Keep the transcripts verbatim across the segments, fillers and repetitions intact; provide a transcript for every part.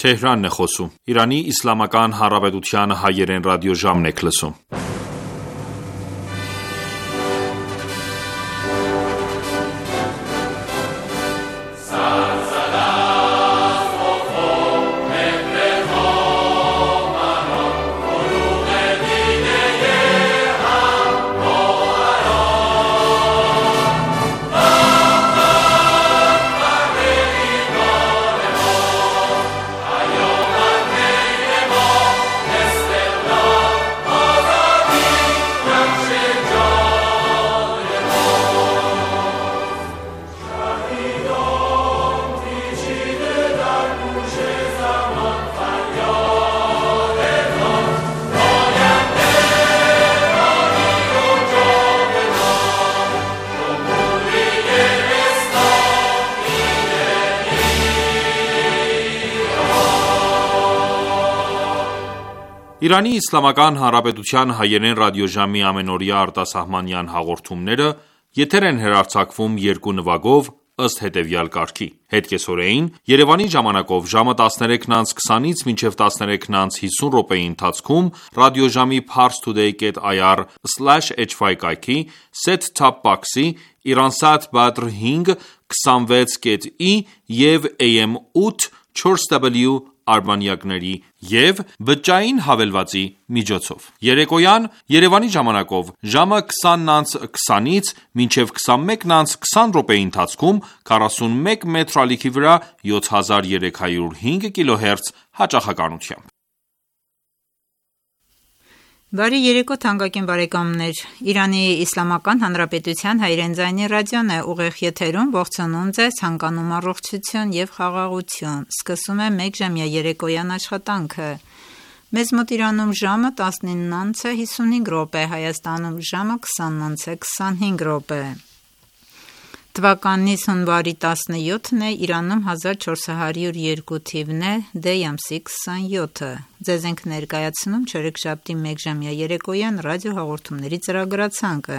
Թեհրանն է խոսում։ Իրանի Իսլամական Հանրապետության հայերեն ռադիոժամն եք լսում։ Իրանի Իսլամական Հանրապետության հայերեն ռադիոժամի ամենօրյա արտասահմանյան հաղորդումները եթեր են հեռարձակվում երկու նվագով ըստ հետևյալ կարգի. Հետկեսօրեին Երևանի ժամանակով ժամը տասներեքն անց քսանից մինչև տասներեքն անց հիսուն րոպեի ընթացքում ռադիոժամի parstoday dot i r slash h y կայքի set-top box-ի Iransat Badr հինգ քսանվեց կետ ի և A M ութ չորս W արբանյակների և բջջային հավելվածի միջոցով։ Երեկոյան Երևանի ժամանակով ժամը քսանն անց քսանից մինչև քսանմեկն անց քսան րոպեի ընթացքում քառասունմեկ մետր ալիքի վրա յոթ հազար երեք հարյուր հինգ կիլոհերց հաճախականությամբ։ Բարի երեկո թանկագին բարեկամներ, Իրանի Իսլամական Հանրապետության հայերեն ձայնի ռադիոն է ուղիղ եթերում, ողջունում ձեզ, հանգանում առողջություն և խաղաղություն, սկսում է մեկժամյա երեկոյան աշխատանքը։ Մեզ մոտ Իրանում ժամը տասնինն անց է հիսունհինգ րոպե, Հայաստանում ժամը քսանն անց է քսանհինգ րոպե։ Թվականից հունվարի տասնյոթն է, Իրանում հազար չորս հարյուր երկու թիվն է, դեյ ամսի քսանյոթը։ Ձեզ ենք ներկայացնում չորեքշաբթի մեկժամյա երեկոյան ռադիո հաղորդումների ծրագրացանկը։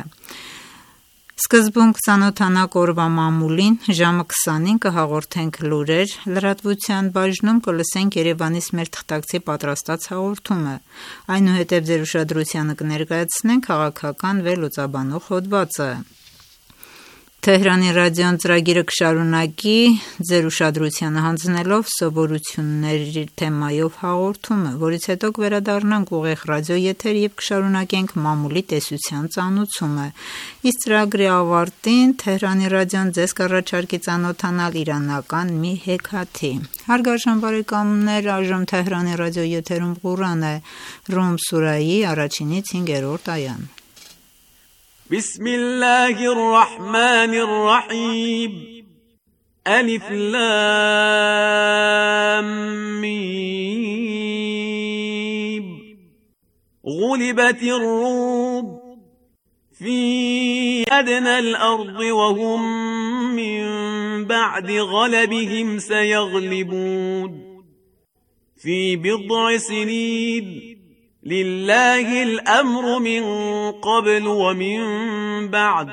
Սկզբում կծանոթանանք օրվա մամուլին, ժամը քսանին կհաղորդենք լուրեր, լրատվության բաժնում կլսենք Երևանից մեր թղթակցի պատրաստած հաղորդումը, այնուհետև ձեր ուշադրությանը կներկայացնենք քաղաքական վերլուծաբանող հոդվածը։ Թեհրանի ռադիոն ծրագիրը կշարունակի ձեր ուշադրությանը հանձնելով սովորությունների թեմայով հաղորդումը, որից հետո կվերադառնանք ուղիղ ռադիո եթեր և կշարունակենք մամուլի տեսության ծանոթումը։ Իսկ ծրագրի ավարտին Թեհրանի ռադիոն ձեզ կառաջարկի ծանոթանալ իրանական մի հեքիաթի։ Հարգարժան բարեկամներ, այժմ Թեհրանի ռադիո եթերում Ղուրան է, Ռում սուրայի առաջինից հինգերորդ այան։ بسم الله الرحمن الرحيم ألف لام ميم غلبت الروم في أدنى الأرض وهم من بعد غلبهم سيغلبون في بضع سنين لله الأمر من قبل ومن بعد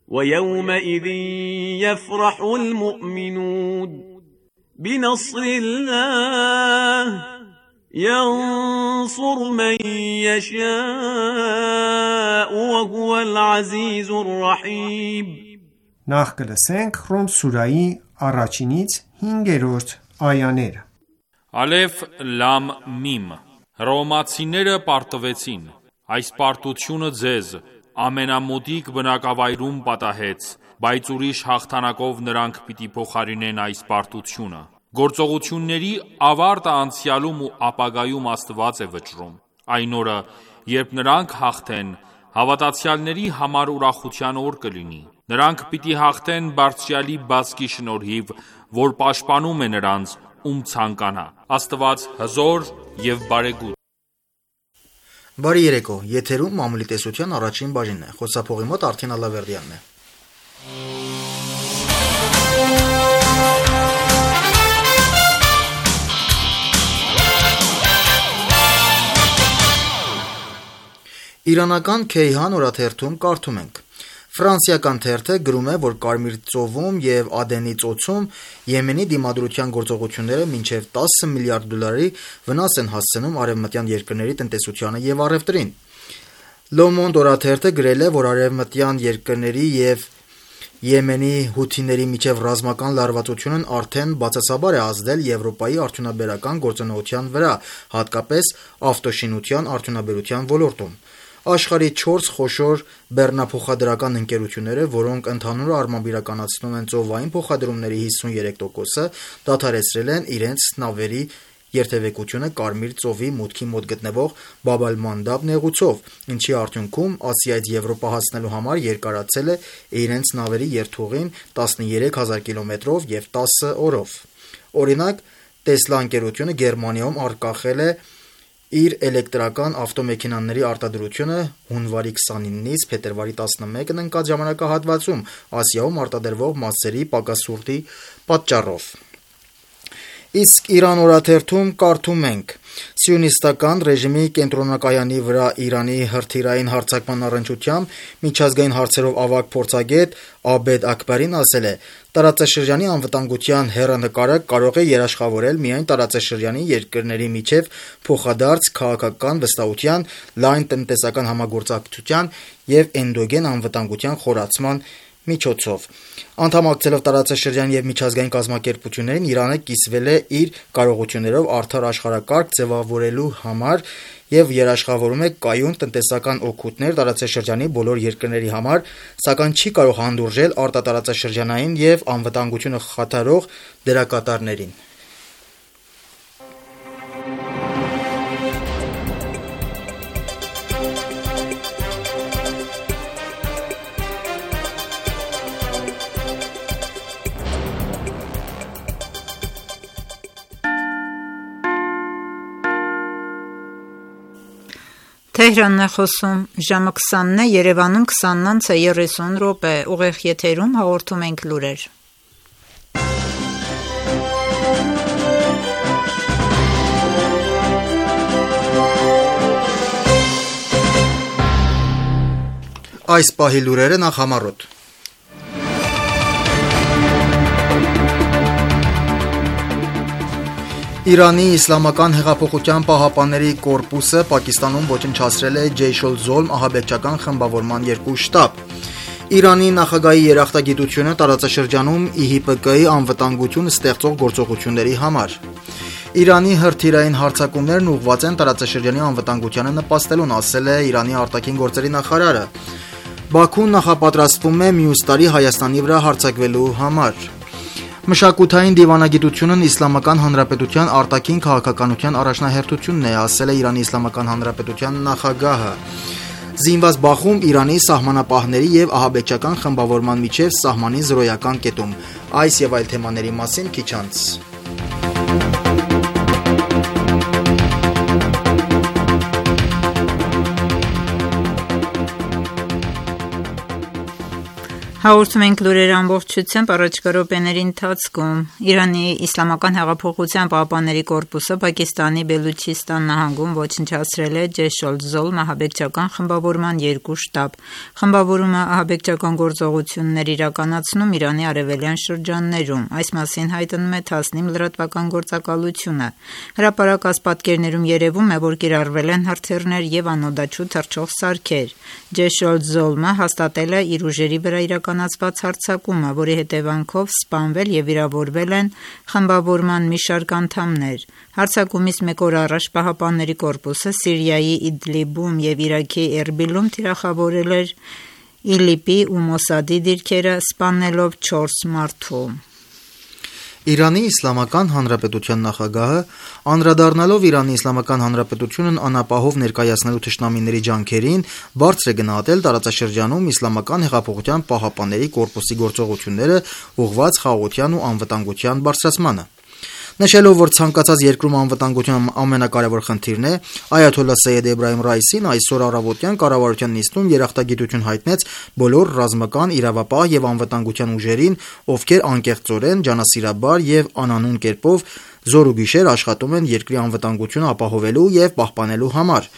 ويومئذ يفرح المؤمنون بنصر الله ينصر من يشاء وهو العزيز الرحيم Նախ կլսենք Ռում սուրայի առաջինից հինգերորդ այաները։ Ալեֆ լամ միմ Հռոմացիները պարտվեցին, այս պարտությունը ձեզ ամենամոտիկ բնակավայրում պատահեց, բայց ուրիշ հաղթանակով նրանք պիտի փոխարինեն այս պարտությունը։ Գործողությունների ավարտը անցյալում ու ապագայում Աստված է վճռում։ Այն օրը, երբ նրանք հաղթեն, հավատացյալների համար ուրախության օր կլինի։ Նրանք պիտի հաղթեն Բարձրյալի բազկի շնորհիվ, որ պաշտպանում է նրանց, ում ցանկանա։ Աստված հզոր և բարեգութ։ Բարի երեկո, եթերում մամուլի տեսության առաջին բաժինն է, խոսափողի մոտ Արդեն Ալավերդյանն է։ Իրանական Քեյհան օրաթերթում կարդում ենք. Ֆրանսիական թերթը գրում է, որ Կարմիր ծովում եւ Ադենի ծոցում Եմենի դիմադրության գործողությունները մինչեւ տասը միլիարդ դոլարի վնաս են հասցնում արևմտյան երկրների տնտեսությանը եւ առևտրին։ Le Monde օրաթերթը գրել է, որ արևմտյան երկրների եւ Եմենի հութիների միջև ռազմական լարվածությունն արդեն բացասաբար է ազդել Եվրոպայի արդյունաբերական գործունեության վրա, հատկապես ավտոշինության արդյունաբերության ոլորտում։ Աշխարհի չորս խոշոր բեռնափոխադրական ընկերությունները, որոնք ընդհանուր առմամբ իրականացնում են ծովային փոխադրումների հիսուններեք տոկոսը, դադարեցրել են իրենց նավերի երթևեկությունը Կարմիր ծովի մուտքի մոտ գտնվող Բաբ ալ-Մանդաբ նեղուցով, ինչի արդյունքում Ասիայից Եվրոպա հասնելու համար երկարացել է իրենց նավերի երթուղին տասներեք հազար կիլոմետրով եւ տասը օրով։ Օրինակ, Տեսլա ընկերությունը Գերմանիայում արգախել է իր էլեկտրական ավտոմեքենաների արտադրությունը հունվարի քսանինից փետրվարի տասնմեկն ընկած ժամանակահատվածում Ասիայում արտադրվող մասերի պակասուրդի պատճառով։ Իսկ Իրան օրաթերթում կարդում ենք. Սիոնիստական ռեժիմի կենտրոնակայանի վրա Իրանի հրթիռային հարձակման առնչությամբ միջազգային հարցերով ավագ փորձագետ Աբեդ Աքբարին ասել է. տարածաշրջանի անվտանգության հեռանկարը կարող է երաշխավորել միայն տարածաշրջանի երկրների միջև փոխադարձ քաղաքական վստահության, լայն տնտեսական համագործակցության եւ էնդոգեն անվտանգության խորացման միջոցով։ Անդամակցելով տարածաշրջանի եւ միջազգային կազմակերպություններին, Իրանը կիսվել է իր կարողություններով արդար աշխարհակարգ ձևավորելու համար եւ երաշխավորում է կայուն տնտեսական օգուտներ տարածաշրջանի բոլոր երկրների համար, սակայն չի կարող հանդուրժել արտատարածաշրջանային եւ անվտանգությունը խաթարող դերակատարներին։ Թեհրանն է խոսում, ժամը քսանն է, Երևանում քսանն անց է երեսուն րոպե, ուղիղ եթերում հաղորդում ենք լուրեր։ Այս պահի լուրերը նախ համառոտ։ Իրանի իսլամական հեղափոխության պահապանների կորպուսը Պակիստանում ոչնչացրել է Ջեյշ-օլ-Զոլմ ահաբեկչական խմբավորման երկու շտաբ։ Իրանի նախագահի երախտագիտությունը տարածաշրջանում ի հի պի կի անվտանգություն ստեղծող գործողությունների համար։ Իրանի հրթիռային հարձակումներն ուղղված են տարածաշրջանի անվտանգությանը նպաստելուն, ասել է Իրանի արտաքին գործերի նախարարը։ Բաքուն նախապատրաստվում է մյուս տարի Հայաստանի վրա հարձակվելու համար։ Մշակութային դիվանագիտությունն Իսլամական Հանրապետության արտաքին քաղաքականության առաջնահերթությունն է, ասել է Իրանի Իսլամական Հանրապետության նախագահը։ Զինված բախում Իրանի սահմանապահների եւ ահաբեկչական խմբավորման միջև սահմանի զրոյական կետում։ Այս եւ այլ թեմաների մասին քիչ անց։ Հաղորդում ենք լուրեր ամբողջությամբ առաջկա րոպեների ընթացքում։ Իրանի Իսլամական հեղափոխության պահապանների կորպուսը Պակիստանի Բելուչիստան նահանգում ոչնչացրել է Ջեշ-օլ-Զոլմ ահաբեկչական խմբավորման երկու շտաբ։ Խմբավորումը ահաբեկչական գործողություններ իրականացնում Իրանի արևելյան շրջաններում։ Այս մասին հայտնում է Թասնիմ լրատվական գործակալությունը։ Հրապարակած պատկերներում երևում է, որ կիրառվել են հրթիռներ եւ անօդաչու թռչող սարքեր։ Ջեշ-օլ-Զոլմը հաստատել է իր ուժերի վրա իրականացված հարձակումը, որի հետևանքով սպանվել եւ վիրավորվել են խմբավորման մի շարք անդամներ։ Հարձակումից մեկ օր առաջ Պահապանների կորպուսը Սիրիայի Իդլիբում եւ Իրաքի Էրբիլում թիրախավորել էր ԻԼԻՊ-ի ու Մոսադի դիրքերը, սպանելով չորս մարդու։ Իրանի Իսլամական Հանրապետության նախագահը, անդրադառնալով Իրանի Իսլամական Հանրապետությունն անապահով ներկայացնելու թշնամիների ջանքերին, բարձր է գնահատել տարածաշրջանում Իսլամական հեղափոխության պահապանների կորպուսի գործողությունները ուղղված խաղաղության ու անվտանգության բարձրացմանը։ Նշելով, որ ցանկացած երկրում անվտանգության ամենակարևոր խնդիրն է, Այաթոլլահ Սեյեդ Էբրահիմ Ռայիսին այսօր առավոտյան կառավարության նիստում երախտագիտություն հայտնեց բոլոր ռազմական, իրավապահ եւ անվտանգության ուժերին, ովքեր անկեղծորեն, ջանասիրաբար եւ անանուն կերպով զոր ու գիշեր աշխատում են երկրի անվտանգությունը ապահովելու եւ պահպանելու համար։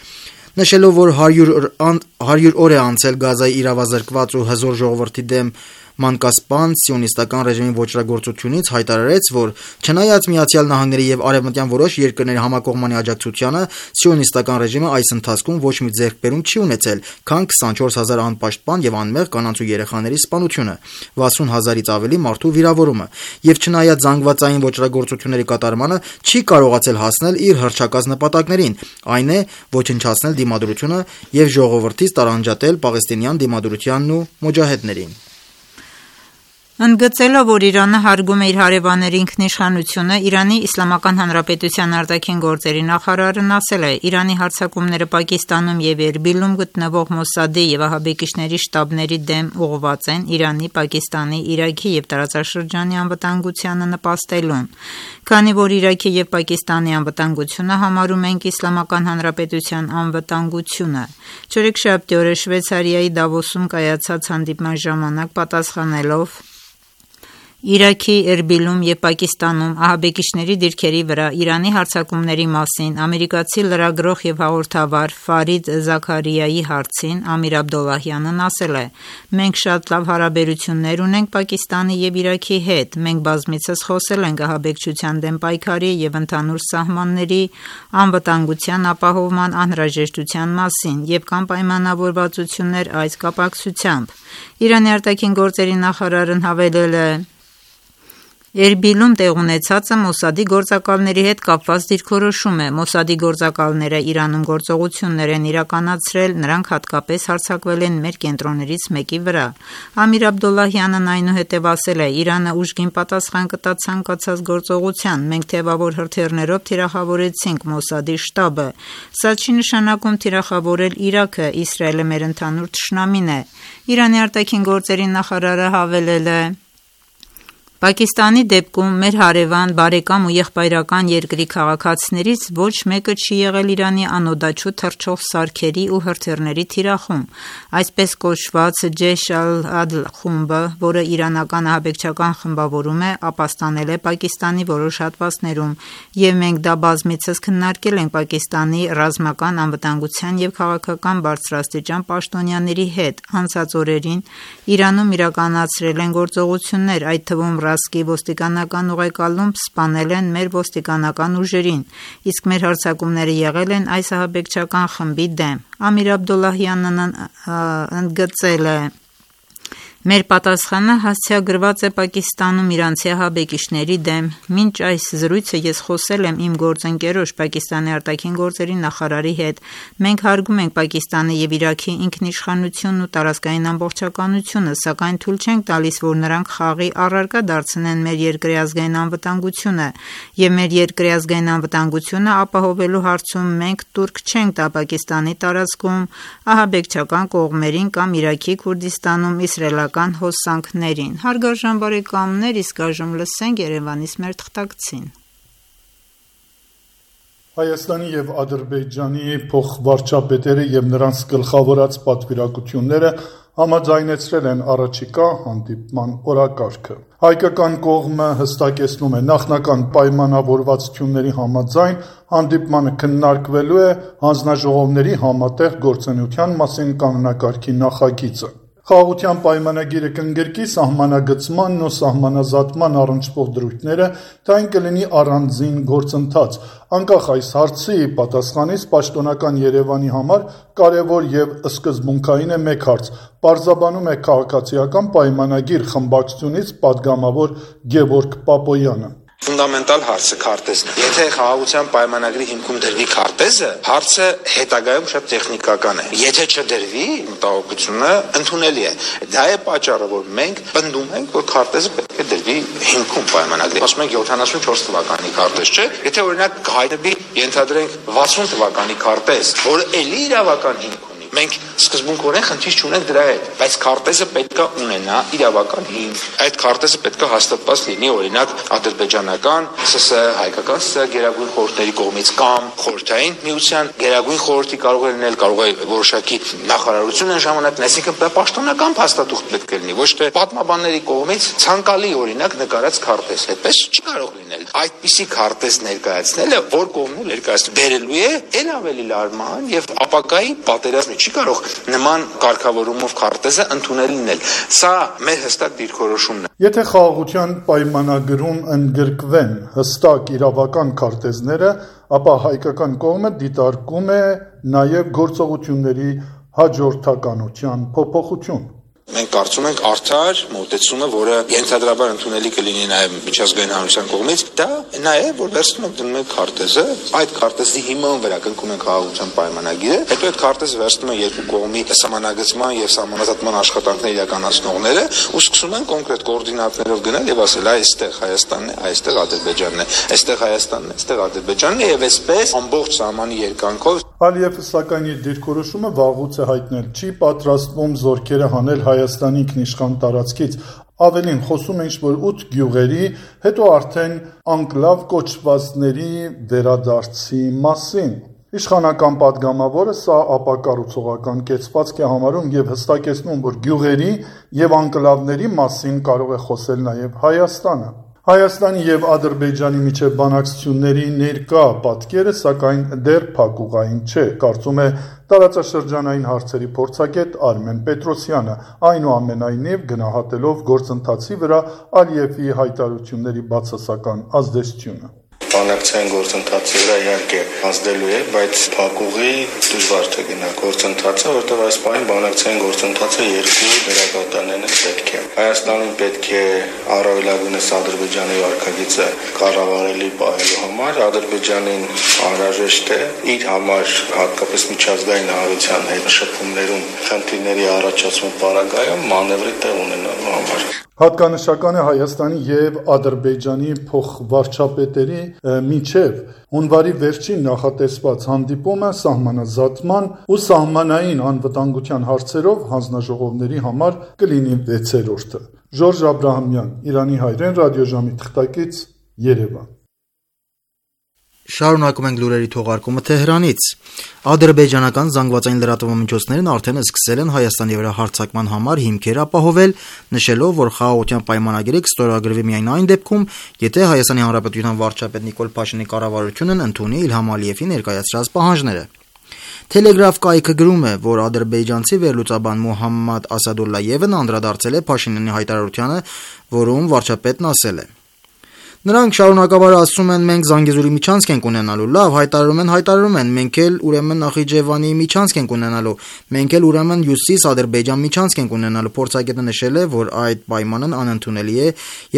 Նշելով, որ հարյուր օր է անցել Գազայի իրավազրկված ու հզոր ժողովրդի դեմ մանկասպան սիոնիստական ռեժիմի ոճրագործությունից, հայտարարեց, որ չնայած Միացյալ Նահանգների եւ արևմտյան որոշ երկրների համակողմանի աջակցությանը, սիոնիստական ռեժիմը այս ընթացքում ոչ մի ձեռքբերում չի ունեցել, քան քսանչորս հազար անպաշտպան եւ անմեղ կանանց ու երեխաների սպանությունը, վաթսուն հազարից ավելի մարդու վիրավորումը, եւ չնայած զանգվածային ոճրագործությունների կատարմանը, չի կարողացել հասնել իր հռչակած նպատակներին, այն է ոչնչացնել դիմադրությունը եւ ժողովրդից տարանջատել պաղեստինյան դիմադրությանն ու մոջահեդներին։ Ընդգծելով, որ Իրանը հարգում է իր հարևանների ինքնիշխանությունը, Իրանի Իսլամական Հանրապետության արտաքին գործերի նախարարն ասել է. Իրանի հարձակումները Պակիստանում եւ Էրբիլում գտնվող Մոսադի եւ ահաբեկիչների շտաբների դեմ ուղղված են Իրանի, Պակիստանի, Իրաքի եւ տարածաշրջանի անվտանգությանը նպաստելուն։ Քանի որ Իրաքի եւ Պակիստանի անվտանգությունը համարում ենք Իսլամական Հանրապետության անվտանգությունը։ Չորեքշաբթի օրը Շվեյցարիայի Դավոսում կայացած հանդիպման ժամանակ պատասխանելով Իրաքի, Էրբիլում եւ Պակիստանում ահաբեկիչների դիրքերի վրա Իրանի հարձակումների մասին ամերիկացի լրագրող եւ հաղորդավար Ֆարիդ Զաքարիայի հարցին Ամիր Աբդոլլահյանն ասել է. «Մենք շատ լավ հարաբերություններ ունենք Պակիստանի եւ Իրաքի հետ, մենք բազմիցս խոսել ենք ահաբեկչության դեմ պայքարի եւ ընդհանուր սահմանների անվտանգության ապահովման անհրաժեշտության մասին եւ կան պայմանավորվածություններ այս կապակցությամբ»։ Իրանի արտաքին գործերի նախարարն հավելել է. Էրբիլում տեղ ունեցածը Մոսադի գործակալների հետ կապված դիրքորոշում է։ Մոսադի գործակալները Իրանում գործողություններ են իրականացրել, նրանք հատկապես հարձակվել են մեր կենտրոններից մեկի վրա։ Ամիր Աբդոլլահյանն այնուհետև ասել է. «Իրանը ուժգին պատասխան կտա ցանկացած գործողության, մենք թեւավոր հրթիռներով թիրախավորեցինք Մոսադի շտաբը։ Սա չի նշանակում թիրախավորել Իրաքը, Իսրայելը մեր ընդհանուր թշնամին է»։ Իրանի արտաքին գործերի նախարարը հավելել է. Պակիստանի դեպքում մեր հարևան, բարեկամ ու եղբայրական երկրի քաղաքացիներից ոչ մեկը չի եղել Իրանի անօդաչու թռչող սարքերի ու հրթիռների թիրախում։ Այսպես կոչված Ջեյշ ալ-Ադլ խումբը, որը իրանական ահաբեկչական խմբավորում է, ապաստանել է Պակիստանի որոշ հատվածներում, եւ մենք դա բազմիցս քննարկել ենք Պակիստանի ռազմական անվտանգության եւ քաղաքական բարձրաստիճան պաշտոնյաների հետ։ Անցած օրերին Իրանում իրականացրել են գործողություններ, այդ թվում Ռասկի ոստիկանական ուղեկալում սպանել են մեր ոստիկանական ուժերին, իսկ մեր հարձակումները եղել են այս ահաբեկչական խմբի դեմ։ Ամիր Աբդոլլահյանն ընդգծել է. «Մեր պատասխանը հասցեագրված է Պակիստանում իրանցի ահաբեկիչների դեմ։ Մինչ այս զրույցը ես խոսել եմ իմ գործընկերոջ Պակիստանի արտաքին գործերի նախարարի հետ։ Մենք հարգում ենք Պակիստանի եւ Իրաքի ինքնիշխանությունն ու տարածքային ամբողջականությունը, սակայն թույլ չենք տալիս, որ նրանք խաղի առարկա դարձնեն մեր երկրի ազգային անվտանգությունը, եւ մեր երկրի ազգային անվտանգությունը ապահովելու հարցում մենք տուրք չենք տա Պակիստանի տարածքում ահաբեկչական կողմերին կամ Իրաքի Քուրդիստանում իսրայելական հոսանքներին»։ Հարգարժան բարեկամներ, իսկ այժմ լսենք Երևանից մեր թղթակցին։ Հայաստանի եւ Ադրբեջանի փոխվարչապետերը եւ նրանց գլխավորած պատվիրակությունները համաձայնեցրել են առաջիկա հանդիպման օրակարգը։ Հայկական կողմը հստակեցնում է նախնական պայմանավորվածությունների համաձայն հանդիպմանը քննարկվելու է հանձնաժողովների համատեղ գործունեության մասին կանոնակարգի նախագիծը։ Խաղաղության պայմանագիրը կընդգրկի սահմանագծմանն ու սահմանազատման առնչվող դրույթները, թե այն կլինի առանձին գործընթաց։ Անկախ այս հարցի պատասխանից պաշտոնական Երևանի համար կարևոր եւ սկզբունքային է մեկ հարց՝ պարզաբանում է քաղաքացիական պայմանագիր խմբակցությունից պատգամավոր Գևորգ Պապոյանը։ Ֆունդամենտալ հարցը քարտեզն է։ Եթե խաղաղության պայմանագրի հիմքում դրվի քարտեզը, հարցը հետագայում շատ տեխնիկական է։ Եթե չդրվի, մտահոգությունը ընդունելի է։ Դա է պատճառը, որ մենք պնդում ենք, որ քարտեզը պետք է դրվի հիմքում պայմանագրի։ Ասում ենք յոթանասունչորս թվականի քարտեզ չէ։ Եթե օրինակ հայտնվի, ենթադրենք վաթսուն թվականի քարտեզ, որը էլի իրավական հիմք ունի, մենք սկզբունքորեն խնդիր չունենք դրա հետ, բայց քարտեզը պետք է ունենա իրավական հիմք։ Այդ քարտեզը պետք է հաստատված լինի, օրինակ, ադրբեջանական ՍՍ, հայկական ՍՍ գերագույն խորհուրդների կողմից կամ խորհրդային միության գերագույն խորհրդի կարող է լինել, կարող է որոշակի նախարարություն են ժամանակն, այսինքն դա պաշտոնական փաստաթուղթ պետք է լինի, ոչ թե պատմաբանների կողմից ցանկալի օրինակ նկարած քարտեզ։ Այդպես չի կարող լինել։ Այդպիսի քարտեզ ներկայացնելը, որ կողմն ներկայացնում, բերելու է ել ավելի լարման եւ ապակայի պատերազմի, չի կարող նման կարգավորումով քարտեզը ընդունել լինել։ Սա մեր հստակ դիրքորոշումն է։ Եթե խաղաղության պայմանագրում ընդգրկվեն հստակ իրավական քարտեզները, ապա հայկական կողմը դիտարկում է նաև գործողությունների հաջորդականության փոփոխություն։ Մենք կարծում ենք արդար մոտեցումը, որը ենթադրաբար ընդունելի կլինի նաև միջազգային հանրության կողմից, դա նաև որ վերցնում ենք դնում ենք քարտեզը, այդ քարտեզի հիման վրա կնքում ենք խաղաղության պայմանագիրը, հետո այդ քարտեզը վերցնում են երկու կողմի սահմանագծման եւ սահմանազատման աշխատանքներ իրականացնողները ու սկսում են կոնկրետ կոորդինատներով գնալ եւ ասել այստեղ Հայաստանն է, այստեղ Ադրբեջանն է, այստեղ Հայաստանն է, այստեղ Ադրբեջանն է եւ այսպես ամբողջ սահմանի երկայնքով։ Ալիևը սակայն իր դիրքորոշումը վաղուց է հայտնել, չի պատրաստվում զորքերը հանել Հայաստանի ինքնիշխան տարածքից, ավելին խոսում է ինչ-որ ութ գյուղերի, հետո արդեն անկլավ կոչվածների վերադարձի մասին։ Իշխանական падգամավորը սա ապակառուցողական կեցվածք է համարում եւ հստակեցնում, որ գյուղերի եւ անկլավների մասին կարող է խոսել նաեւ Հայաստանը։ Հայաստանի եւ Ադրբեջանի միջև բանակցությունների ներկա պատկերը սակայն դեռ փակուղային չէ, կարծում է տարածաշրջանային հարցերի փորձագետ Արմեն Պետրոսյանը, այնուամենայնիվ գնահատելով գործընթացի վրա Ալիևի հայտարարությունների բացասական ազդեցությունը։ Բանակցային գործընթացի վրա իհարկե ազդելու է, բայց փակուղի դժվար թե գնա գործընթացը, որտեղ այս պահին բանակցային գործընթացը երկու դերակատարներն պետք է։ Հայաստանին պետք է առավելագույնս Ադրբեջանի վարկագիծը կառավարելի պահելու համար, Ադրբեջանին անհրաժեշտ է իր համար հատկապես միջազգային հանրության հետ շփումներում խնդիրների առաջացում պարագայում մանևրի տեղ ունենալու համար։ Հատկանշական է Հայաստանի եւ Ադրբեջանի փոխվարչապետերի միջև հունվարի վերջին նախատեսված հանդիպումը սահմանազատման ու սահմանային անվտանգության հարցերով հանձնաժողովների համար կլինի վեցերորդը։ Ժորժ Աբրահամյան, Իրանի հայրեն ռադիոժամի թղթակից, Երևան։ Շարունակում ենք լուրերի թողարկումը Թեհրանից։ Ադրբեջանական զանգվածային լրատվամիջոցներն արդեն սկսել են Հայաստանի վրա հարձակման համար հիմքեր ապահովել, նշելով, որ խաղաղության պայմանագիրը կստորագրվի միայն այն դեպքում, եթե Հայաստանի Հանրապետության վարչապետ Նիկոլ Փաշինյանի կառավարությունն ընդունի Իլհամ Ալիևի ներկայացրած պահանջները։ Telegraph կայքը գրում է, որ ադրբեջանցի վերլուծաբան Մոհամմադ Ասադուլլայևն անդրադարձել է Փաշինյանի հայտարարությանը, որում վարչապետն ասել է. Նրանք շարունակաբար ասում են, մենք Զանգեզուրի միջանցք ենք ունենալու, լավ, հայտարարում են, հայտարարում են, մենք էլ ուրեմն Նախիջևանի միջանցք ենք ունենալու, մենք էլ ուրեմն Հյուսիս Ադրբեջան միջանցք ենք ունենալու։ Փորձագետը նշել է, որ այդ պայմանն անընդունելի է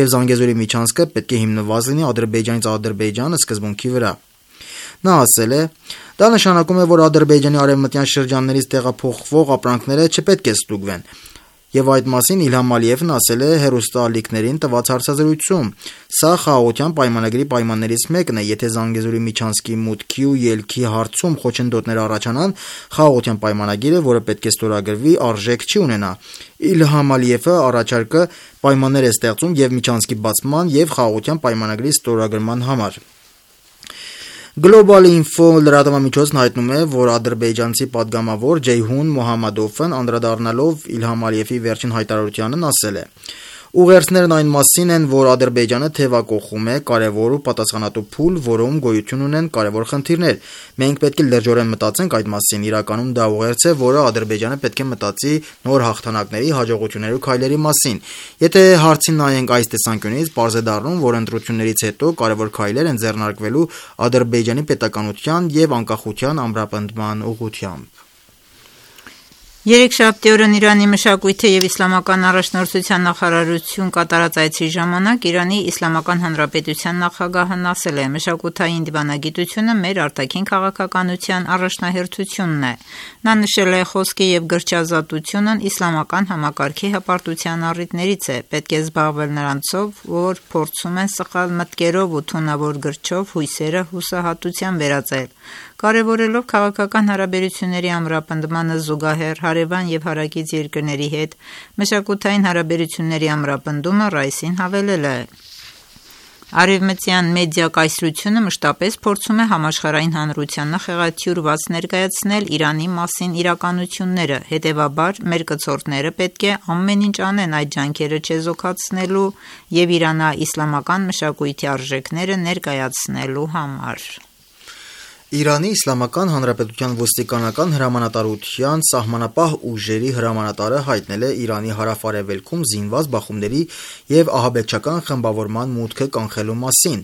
եւ Զանգեզուրի միջանցքը պետք է հիմնված լինի Ադրբեջանից Ադրբեջանը սկզբունքի վրա։ Նա ասել է. դա նշանակում է, որ Ադրբեջանի արևմտյան շրջաններից տեղափոխվող ապրանքները չպետք է ստուգվեն։ Եվ այդ մասին Իլհամ Ալիևն ասել է հեռուստաալիքներին տված հարցազրույցում. Սա խաղաղության պայմանագրի պայմաններից մեկն է, եթե Զանգեզուրի միջանցքի մուտքի ու ելքի հարցում խոչընդոտներ առաջանան, խաղաղության պայմանագիրը, որը պետք է ստորագրվի, արժեք չի ունենա։ Իլհամ Ալիևը առաջարկը պայմաններ է ստեղծում եւ միջանցքի բացման եւ խաղաղության պայմանագրի ստորագրման համար։ Global Info լրատվամիջոցն հայտնում է, որ ադրբեջանցի падգամավոր Ջեյհուն Մոհամմադովն անդրադառնալով Իլհամ Ալիևի վերջին հայտարարությանն ասել է. Ուղերձներն այն մասին են, որ Ադրբեջանը թևակողում է կարևոր ու պատասխանատու փուլ, որում գոյություն ունեն կարևոր խնդիրներ։ Մենք պետք է լրջորեն մտածենք այդ մասին։ Իրականում դա ուղերձ է, որը Ադրբեջանը պետք է մտածի նոր հաղթանակների, հաջողությունների ու քայլերի մասին։ Եթե հարցին նայենք այս տեսանկյունից, պարզ է դառնում, որ ընտրություններից հետո կարևոր քայլեր են ձեռնարկվելու Ադրբեջանի պետականության եւ անկախության ամրապնդման ուղղությամբ։ Երեքշաբթի օրն Իրանի մշակույթի եւ իսլամական առաջնորդության նախարարություն կատարած այցի ժամանակ Իրանի Իսլամական Հանրապետության նախագահն ասել է. մշակութային դիվանագիտությունը մեր արտաքին քաղաքականության առաջնահերթությունն է։ Նա նշել է խոսքի եւ գրչազատությունն իսլամական համակարգի հպարտության առիթներից է։ Պետք է զբաղվել նրանցով, որ փորձում են սխալ մտքերով ու թունավոր գրչով հույսերը հուսահատության վերածել։ Կարևորելով քաղաքական հարաբերությունների ամրապնդմանը զուգահեռ հարևան եւ հարակից երկրների հետ մշակութային հարաբերությունների ամրապնդումը Ռայսին հավելել է. Արևմտյան մեդիա կայսրությունը մշտապես փորձում է համաշխարհային հանրությանը խեղաթյուրված ներկայացնել Իրանի մասին իրականությունները, հետևաբար մեր կցորդները պետք է ամեն ինչ անեն այդ ջանքերը չեզոքացնելու եւ իրանա-իսլամական մշակույթի արժեքները ներկայացնելու համար։ Իրանի Իսլամական Հանրապետության ոստիկանական հրամանատարության սահմանապահ ուժերի հրամանատարը հայտնել է Իրանի հարավ-արևելքում զինված բախումների եւ ահաբեկչական խմբավորման մուտքը կանխելու մասին։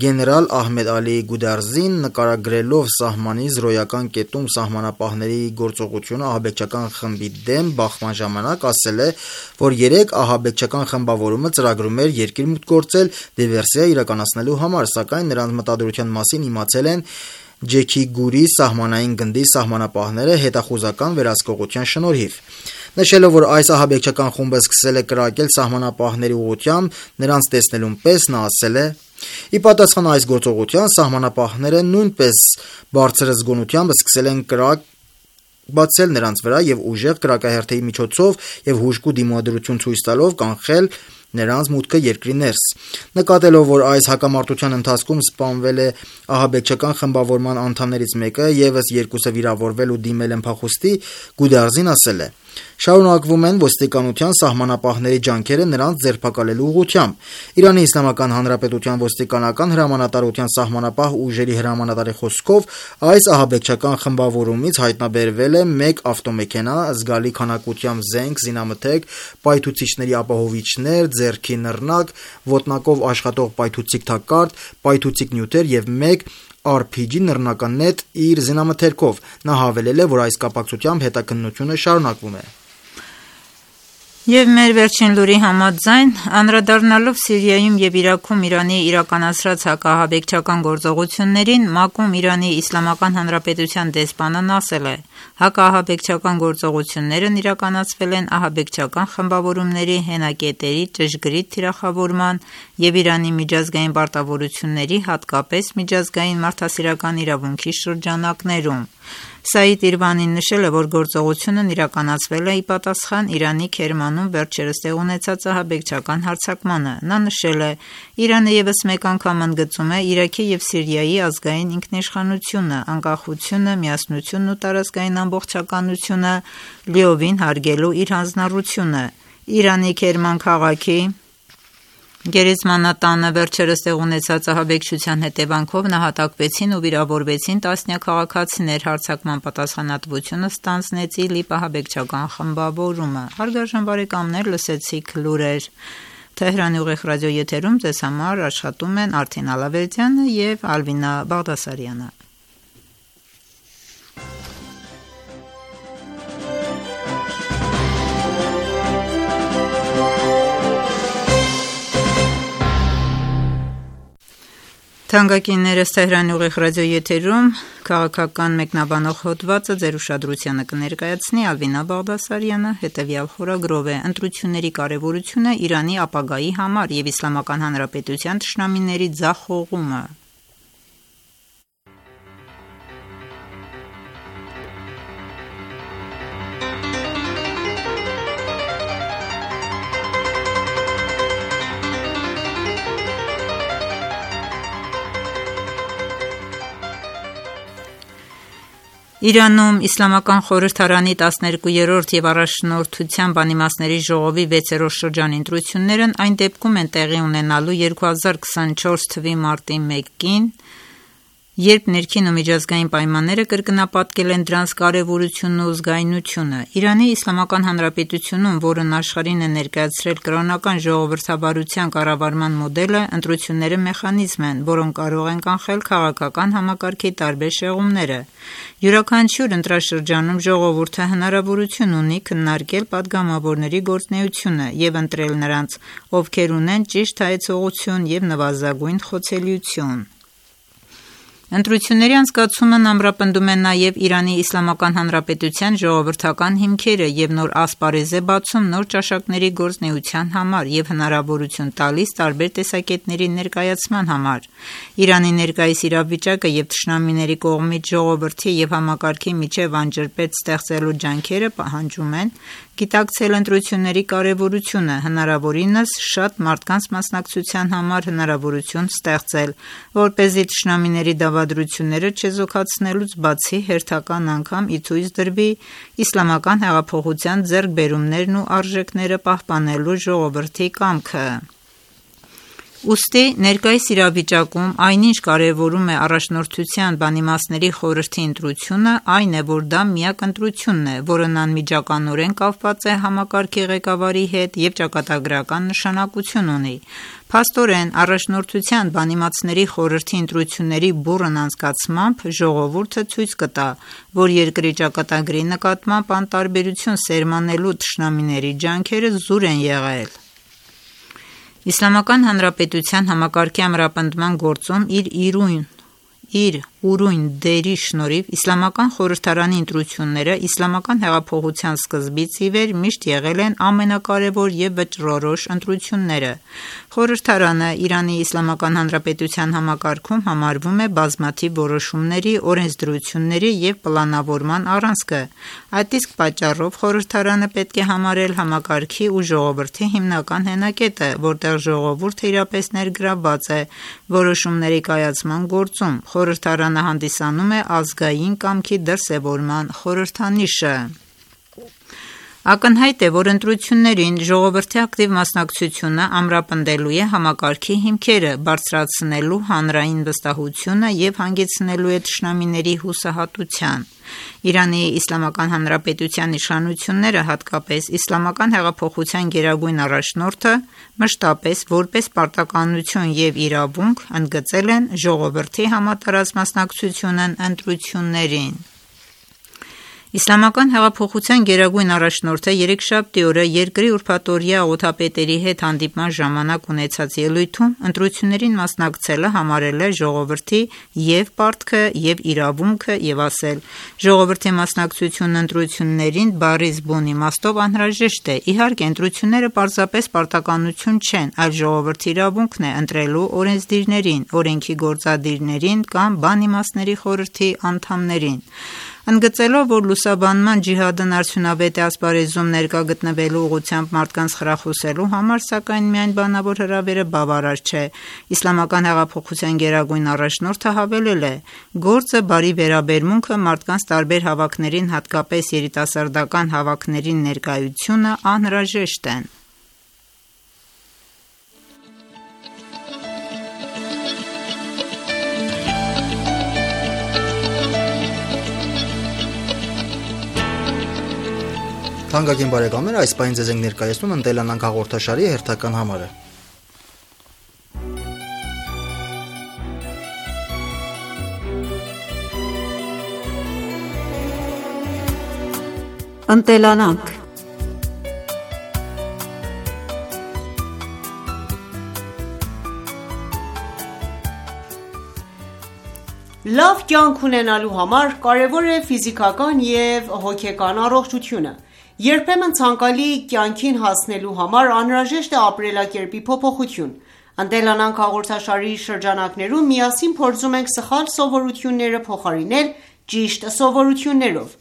Գեներալ Ահմեդ Ալի Գուդարզին նկարագրելով սահմանի զրոյական կետում սահմանապահների գործողությունը ահաբեկչական խմբի դեմ բախման ժամանակ ասել է, որ երեք ահաբեկչական խմբավորումը ծրագրում էր երկիր մուտք գործել դիվերսիա իրականացնելու համար, սակայն նրանց մտադրության մասին իմացել են Ջեքի Գուրի սահմանային գնդի սահմանապահները հետախուզական վերահսկողության շնորհիվ։ Նշելով, որ այս ահաբեկչական խումբը սկսել է կրակել սահմանապահների ուղղությամբ նրանց տեսնելուն պես, նա ասել է. «Ի պատասխան այս գործողության սահմանապահները նույնպես բարձր զգոնությամբ սկսել են կրակ բացել նրանց վրա եւ ուժեղ կրակահերթի միջոցով եւ հուժկու դիմադրություն ցույց տալով կանխել նրանց մուտքը երկրի ներս»։ Նկատելով, որ այս հակամարտության ընթացքում սպանվել է ահաբեկչական խմբավորման անդամներից մեկը, եւս երկուսը վիրավորվել ու դիմել են փախուստի, Գուդարզին ասել է. «Շարունակվում են ոստիկանության սահմանապահների ջանքերը նրանց ձերբակալելու ուղղությամբ»։ Իրանի Իսլամական Հանրապետության ոստիկանական հրամանատարության սահմանապահ ուժերի հրամանատարի խոսքով այս ահաբեկչական խմբավորումից հայտնաբերվել է մեկ ավտոմեքենա, զգալի քանակությամբ զենք, զինամթերք, պայթուցիչների ապահովիչներ, ձեռքի նռնակ, ոտնակով աշխատող պայթուցիկ թակարդ, պայթուցիկ նյութեր եւ մեկ Ար Փի Ջի նռնական նետ իր զինամթերքով։ Նա հավելել է, որ այս կապակցությամբ հետաքննությունը շարունակվում է։ Եվ մեր վերջին լուրի համաձայն, անդրադառնալով Սիրիայում եւ Իրաքում Իրանի իրականացրած հակաահաբեկչական գործողություններին, ՄԱԿ-ում Իրանի Իսլամական Հանրապետության դեսպանն ասել է. հակաահաբեկչական գործողություններն իրականացվել են ահաբեկչական խմբավորումների հենակետերի ճշգրիտ թիրախավորման եւ Իրանի միջազգային պարտավորությունների, հատկապես միջազգային մարդասիրական իրավունքի շրջանակներում։ Սաիդ Իրվանին նշել է, որ գործողությունն իրականացվել է ի պատասխան Իրանի Քերմանում վերջերս տեղ ունեցած ահաբեկչական հարձակմանը։ Նա նշել է. Իրանը եւս մեկ անգամ ընդգծում է Իրաքի եւ Սիրիայի ազգային ինքնիշխանությունը, անկախությունը, միասնությունն ու տարածքային ամբողջականությունը լիովին հարգելու իր հանձնառությունը։ Իրանի Քերման քաղաքի Գերեզմանատանը վերջերս տեղ ունեցած ահաբեկչության հետևանքով նահատակվեցին ու վիրավորվեցին տասնյակ քաղաքացիներ, հարձակման պատասխանատվությունը ստանձնեց ԻԼԻՊ ահաբեկչական խմբավորումը։ Հարգարժան բարեկամներ, լսեցիք լուրեր։ Թեհրանի ուղիղ ռադիոեթերում ձեզ համար աշխատում են Արթին Ալավերդյանը եւ Ալվինա Բաղդասարյանը։ Թանկագիններս Թեհրանի ուղիղ ռադիոեթերում քաղաքական մեկնաբանող հոդվածը ձեր ուշադրությանը կներկայացնի Ալվինա Բաղդասարյանը հետևյալ խորագրով է. ընտրությունների կարևորությունը Իրանի ապագայի համար եւ Իսլամական Հանրապետության թշնամիների ձախողումը։ Իրանում Իսլամական խորհրդարանի տասներկուերորդ եւ առաջնորդության բանիմացների ժողովի վեցերորդ շրջանի ընտրություններն այն դեպքում են տեղի ունենալու երկու հազար քսանչորս թվականի մարտի մեկին, երբ ներքին ու միջազգային պայմանները կրկնապատկել են դրանց կարևորությունն ու զգայունությունը։ Իրանի Իսլամական Հանրապետությունում, որն աշխարհին է ներկայացրել կրոնական ժողովրդավարության կառավարման մոդելը, ընտրությունները մեխանիզմ են, որոնք կարող են կանխել քաղաքական համակարգի տարբեր շեղումները։ Յուրաքանչյուր ընտրաշրջանում ժողովուրդը հնարավորություն ունի քննարկել պատգամավորների գործունեությունը եւ ընտրել նրանց, ովքեր ունեն ճիշտ հայեցողություն եւ նվազագույն խոցելիություն։ Ընտրությունների անցկացումն ամրապնդում է նաև Իրանի Իսլամական Հանրապետության ժողովրդական հիմքերը և նոր ասպարեզ է բացում նոր ճաշակների գործունեության համար և հնարավորություն տալիս տարբեր տեսակետների ներկայացման համար։ Իրանի ներկայիս իրավիճակը և թշնամիների կողմից ժողովրդի և համակարգի միջև անջրպետ ստեղծելու ջանքերը պահանջում են գիտակցել ընտրությունների կարևորությունը, հնարավորինս շատ մարդկանց մասնակցության համար հնարավորություն ստեղծել, որպեսզի թշնամիների դավադրությունները չեզոքացնելուց բացի հերթական անգամ ի ցույց դրվի իսլամական հեղափոխության ձեռքբերումներն ու արժեքները պահպանելու ժողովրդի կամքը։ Ուստի ներկայիս իրավիճակում այնինչ կարևորում է առաջնորդության բանիմացների խորհրդի ընտրությունը, այն է, որ դա միակ ընտրությունն է, որն անմիջականորեն կապված է համակարգի ղեկավարի հետ և ճակատագրական նշանակություն ունի։ Փաստորեն, առաջնորդության բանիմացների խորհրդի ընտրությունների բուռն անցկացմամբ ժողովուրդը ցույց կտա, որ երկրի ճակատագրի նկատմամբ անտարբերություն սերմանելու թշնամիների ջանքերը զուր են եղել։ Իսլամական Հանրապետության համակարգի ամրապնդման գործում իր իրույն իր ուրույն դերի շնորհիվ Իսլամական խորհրդարանի ընտրությունները իսլամական հեղափոխության սկզբից ի վեր միշտ եղել են ամենակարևոր և վճռորոշ ընտրությունները։ Խորհրդարանը Իրանի Իսլամական Հանրապետության համակարգում համարվում է բազմաթիվ որոշումների, օրենսդրությունների և պլանավորման առանցքը։ Այդ իսկ պատճառով խորհրդարանը պետք է համարել համակարգի ու ժողովրդի հիմնական հենակետը, որտեղ ժողովուրդը իրապես ներգրավված է որոշումների կայացման գործում։ Խորհրդարանը հանդիսանում է ազգային կամքի դրսևորման խորհրդանիշը։ Ակնհայտ է, որ ընտրություններին ժողովրդի ակտիվ մասնակցությունը ամրապնդելու է համակարգի հիմքերը, բարձրացնելու հանրային վստահությունը և հանգեցնելու է թշնամիների հուսահատության։ Իրանի Իսլամական Հանրապետության իշխանությունները, հատկապես Իսլամական հեղափոխության գերագույն առաջնորդը, մշտապես որպես պարտականություն և իրավունք ընդգծել են ժողովրդի համատարած մասնակցությունն ընտրություններին։ Իսլամական հեղափոխության գերագույն առաջնորդը երեքշաբթի օրը երկրի ուրբաթօրյա աղոթապետերի հետ հանդիպման ժամանակ ունեցած ելույթում ընտրություններին մասնակցելը համարել է ժողովրդի և պարտքը, և իրավունքը և ասել. «Ժողովրդի մասնակցությունն ընտրություններին բառից բուն իմաստով անհրաժեշտ է։ Իհարկե, ընտրությունները պարզապես պարտականություն չեն, այլ ժողովրդի իրավունքն է ընտրելու օրենսդիրներին, օրենքի գործադիրներին կամ բանիմացների խորհրդի անդամներին»։ Ընդգծելով, որ լուսաբանման ջիհադն արդյունավետ է ասպարեզում ներկա գտնվելու ուղղությամբ մարդկանց խրախուսելու համար, սակայն միայն բանավոր հրավերը բավարար չէ, Իսլամական հեղափոխության գերագույն առաջնորդը հավելել է. «Գործը բարի վերաբերմունքը, մարդկանց տարբեր հավաքներին, հատկապես երիտասարդական հավաքների ներկայությունը անհրաժեշտ են»։ Թանկագին բարեկամներ, այս պահին ձեզ ենք ներկայացնում «Ընտելանանք» հաղորդաշարի հերթական համարը։ Ընտելանանք Լավ կյանք ունենալու համար կարևոր է ֆիզիկական և հոգեկան առողջությունը։ Երբեմն ցանկալի կյանքին հասնելու համար անհրաժեշտ է ապրելակերպի փոփոխություն։ «Ընտելանանք» հաղորդաշարի շրջանակներում միասին փորձում ենք սխալ սովորությունները փոխարինել ճիշտ սովորություններով։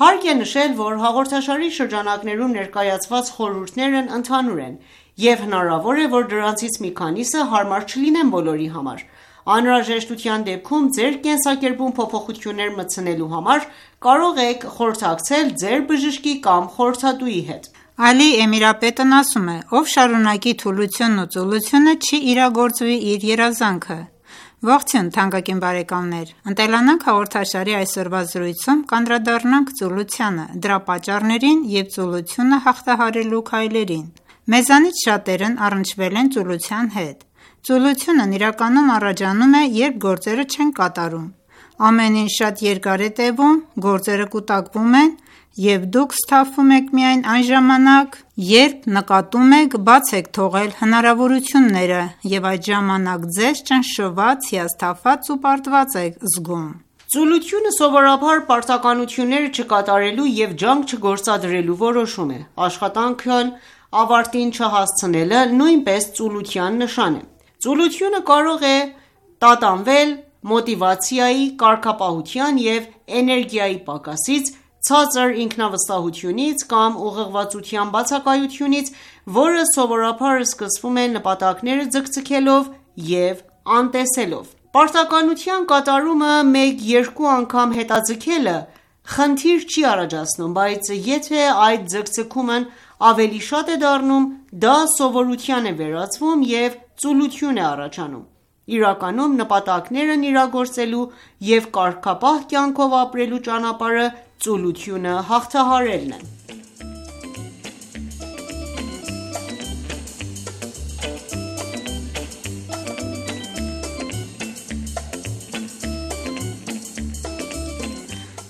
Հարկ է նշել, որ հաղորդաշարի շրջանակներում ներկայացված խորհուրդներն ընդհանուր են, և հնարավոր է, որ դրանցից մի քանիսը հարմար չլինեն բոլորի համար։ Անհրաժեշտության դեպքում ձեր կենսակերպում փոփոխություններ մտցնելու համար կարող եք խորհրդակցել ձեր բժշկի կամ խորհրդատուի հետ։ Ալի Էմիրապետն ասում է. «Ով շարունակի թուլությունն ու ծուլությունը, չի իրագործվի իր երազանքը»։ Ողջույն թանկագին բարեկամներ, «Ընտելանանք» հաղորդաշարի այսօրվա զրույցում կանդրադառնանք ծուլությանը, դրա պատճառներին և ծուլությունը հաղթահարելու քայլերին։ Մեզանից շատերն առնչվել են ծուլության հետ։ Ծուլությունն իրականում առաջանում է, երբ գործերը չենք կատարում։ Ամեն ինչ շատ երկար է տևում, գործերը կուտակվում են, և դուք սթափվում եք միայն այն ժամանակ, երբ նկատում եք բաց եք թողել հնարավորությունները և այդ ժամանակ ձեզ ճնշված, հիասթափված ու պարտված եք զգում: Ծուլությունը սովորաբար պարտականությունները չկատարելու և ջանք չգործադրելու որոշում է: Աշխատանքն ավարտին չհասցնելը նույնպես ծուլության նշան է: Ծուլությունը կարող է տատանվել մոտիվացիայի, կարգապահության և էներգիայի պակասից, ցածր ինքնավստահությունից կամ ուղղվածության բացակայությունից, որը սովորաբար սկսվում է նպատակները ձգձգելով և անտեսելով: Պարտականության կատարումը մեկ-երկու անգամ հետաձգելը խնդիր չի առաջացնում, բայց եթե այդ ձգձգումն ավելի շատ է դառնում, դա սովորության է վերածվում և ծուլություն է առաջանում: Իրականում նպատակներն իրագործելու և կարգապահ կյանքով ապրելու ճանապարհը ծուլությունը հաղթահարելն է: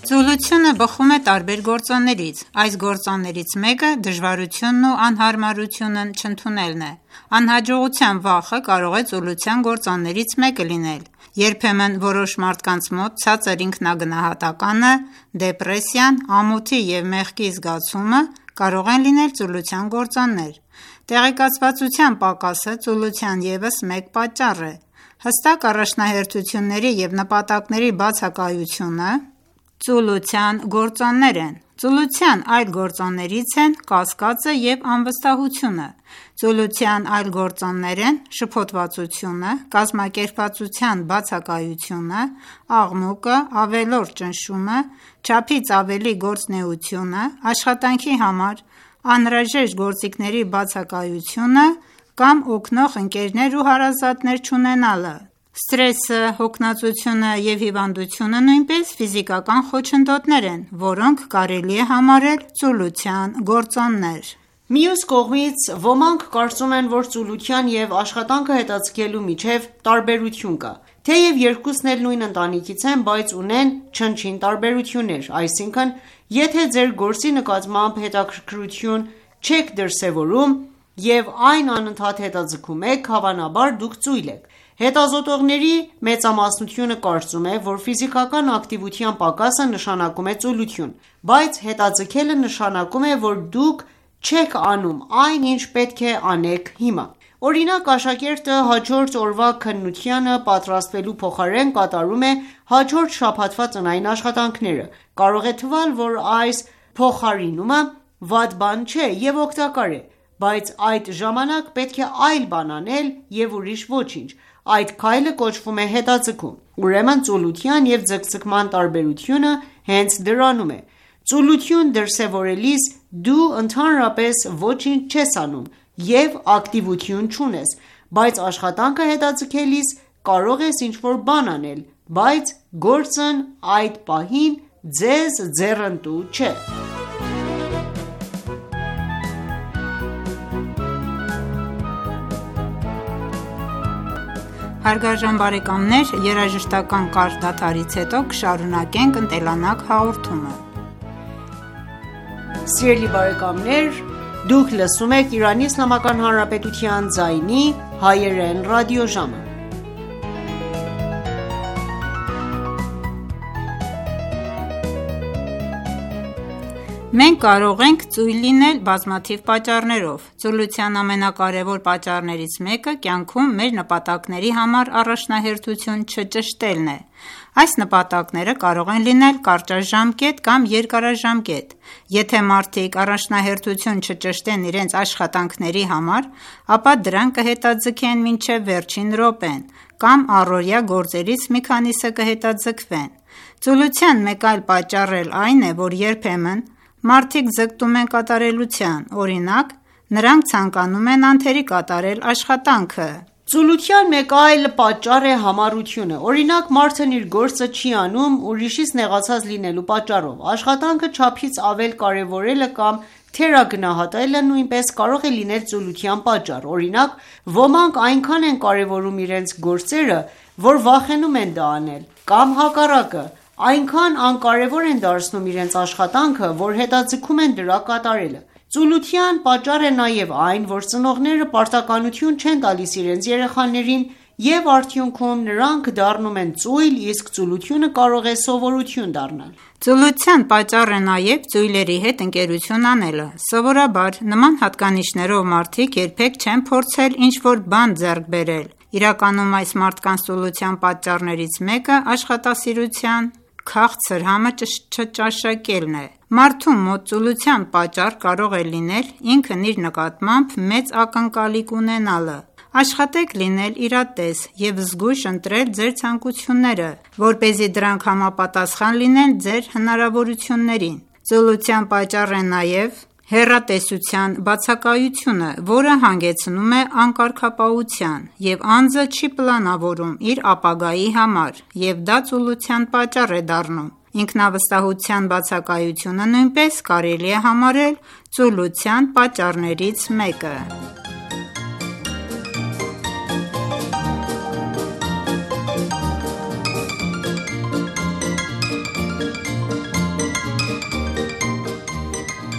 Ծուլությունը բխում է տարբեր գործոններից: Այս գործոններից մեկը դժվարությունն ու անհարմարությունն չընդունելն է: Անհաջողության վախը կարող է ծուլության գործոններից մեկը լինել: Երբեմն որոշ մարդկանց մոտ ցածր ինքնագնահատականը, դեպրեսիան, ամոթի և մեղքի զգացումը կարող են լինել ծուլության գործոններ: Տեղեկացվածության պակասը ծուլության ևս մեկ պատճառ է: Հստակ առաջնահերթությունների և նպատակների բացակայությունը ծուլության գործոններ են: Ծուլության այլ գործոններից են կասկածը և անվստահությունը: Ծուլության այլ գործոններ են շփոթվածությունը, կազմակերպվածության բացակայությունը, աղմուկը, ավելորդ ճնշումը, չափից ավելի գործունեությունը, աշխատանքի համար անհրաժեշտ գործիքների բացակայությունը կամ օգնող ընկերներ ու հարազատներ չունենալը: Սթրեսը, հոգնածությունը և հիվանդությունը նույնպես ֆիզիկական խոչընդոտներ են, որոնք կարելի է համարել ծուլության գործոններ: Մյուս կողմից, ոմանք կարծում են, որ ծուլության և աշխատանքը հետաձգելու միջև տարբերություն կա: Թեև երկուսն էլ նույն ընտանիքից են, բայց ունեն չնչին տարբերություններ: Այսինքն, եթե ձեր գործի նկատմամբ հետաքրքրություն չեք դրսևորում և այն անընդհատ հետաձգում եք, հավանաբար դուք ծույլ եք: Հետազոտողների մեծամասնությունը կարծում է, որ ֆիզիկական ակտիվության պակասը նշանակում է ծուլություն: Բայց հետաձգելը նշանակում է, որ դուք չեք անում այն, ինչ պետք է անեք հիմա: Օրինակ, աշակերտը հաջորդ օրվա քննությանը պատրաստվելու փոխարեն կատարում է հաջորդ շաբաթվա տնային աշխատանքները: Կարող է թվալ, որ այս փոխարինումը վատ բան չէ և օգտակար է, բայց այդ ժամանակ պետք է այլ բան անել և ուրիշ ոչինչ: Այդ քայլը կոչվում է հետաձգում: Ուրեմն ծուլության և ձգձգման տարբերությունը հենց դրանում է: Ծուլություն դրսևորելիս դու ընդհանրապես ոչինչ չես անում և ակտիվություն չունես, բայց աշխատանքը հետաձգելիս կարող ես ինչ-որ բան անել, բայց գործն այդ պահին ձեզ ձեռնտու չէ: Հարգարժան բարեկամներ, երաժշտական կարճ դադարից հետո կշարունակենք «Ընտելանանք» հաղորդումը: Մենք կարող ենք ծույլ լինել բազմաթիվ պատճառներով: Ծուլության ամենակարևոր պատճառներից մեկը կյանքում մեր նպատակների համար առաջնահերթություն չճշտելն է: Այս նպատակները կարող են լինել կարճաժամկետ կամ երկարաժամկետ: Եթե մարդիկ առաջնահերթություն չճշտեն իրենց աշխատանքների համար, ապա դրանք կհետաձգեն մինչև վերջին րոպեն կամ առօրյա գործերից մի քանիսը կհետաձգվեն: Ծուլության մեկ այլ պատճառ էլ այն է, որ երբեմն մարդիկ ձգտում են կատարելության: Օրինակ, նրանք ցանկանում են անթերի կատարել աշխատանքը: Ծուլության մեկ այլ պատճառ է համառությունը: Օրինակ, մարդն իր գործը չի անում ուրիշից նեղացած լինելու պատճառով: Աշխատանքը չափից ավել կարևորելը կամ թերագնահատելը նույնպես կարող է լինել ծուլության պատճառ: Օրինակ, ոմանք այնքան են կարևորում իրենց գործերը, որ վախենում են դա անել, կամ հակառակը, այնքան անկարևոր են դարձնում իրենց աշխատանքը, որ հետաձգում են դրա կատարելը: Ծուլության պատճառ է նաև այն, որ ծնողները պարտականություն չեն տալիս իրենց երեխաներին և արդյունքում նրանք դառնում են ծույլ, իսկ ծուլությունը կարող է սովորություն դառնալ: Ծուլության պատճառ է նաև ծույլերի հետ ընկերություն անելը: Սովորաբար նման հատկանիշներով մարդիկ երբեք չեն փորձել ինչ-որ բան ձեռք բերել: Իրականում այս մարդկանց ծուլության պատճառներից մեկը աշխատասիրության քաղցր համը չճաշակելն է: Մարդու մոտ ծուլության պատճառ կարող է լինել ինքն իր նկատմամբ մեծ ակնկալիք ունենալը: Աշխատեք լինել իրատես և զգույշ ընտրել ձեր ցանկությունները, որպեսզի դրանք համապատասխան լինեն ձեր հնարավորություններին: Ծուլության պատճառ է նաև հեռատեսության բացակայությունը, որը հանգեցնում է անկարգապահության և անձը չի պլանավորում իր ապագայի համար և դա ծուլության պատճառ է դառնում: Ինքնավստահության բացակայությունը նույնպես կարելի է համարել ծուլության պատճառներից մեկը: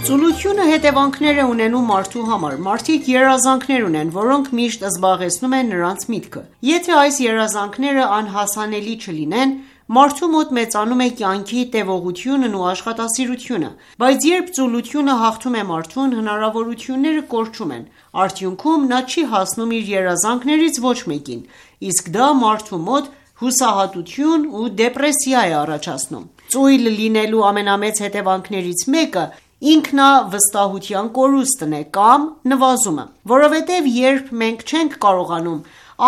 Ծուլությունը հետևանքներ է ունենում մարդու համար: Մարդիկ երազանքներ ունեն, որոնք միշտ զբաղեցնում են նրանց միտքը: Եթե այս երազանքները անհասանելի չլինեն, մարդու մոտ մեծանում է կյանքի տևողությունն ու աշխատասիրությունը: Բայց երբ ծուլությունը հաղթում է մարդուն, հնարավորությունները կորչում են: Արդյունքում նա չի հասնում իր երազանքներից ոչ մեկին, իսկ դա մարդու մոտ հուսահատություն ու դեպրեսիա է առաջացնում: Ծույլ լինելու ամենամեծ հետևանքներից մեկը ինքնավստահության կորուստն է կամ նվազումը: Որովհետև երբ մենք չենք կարողանում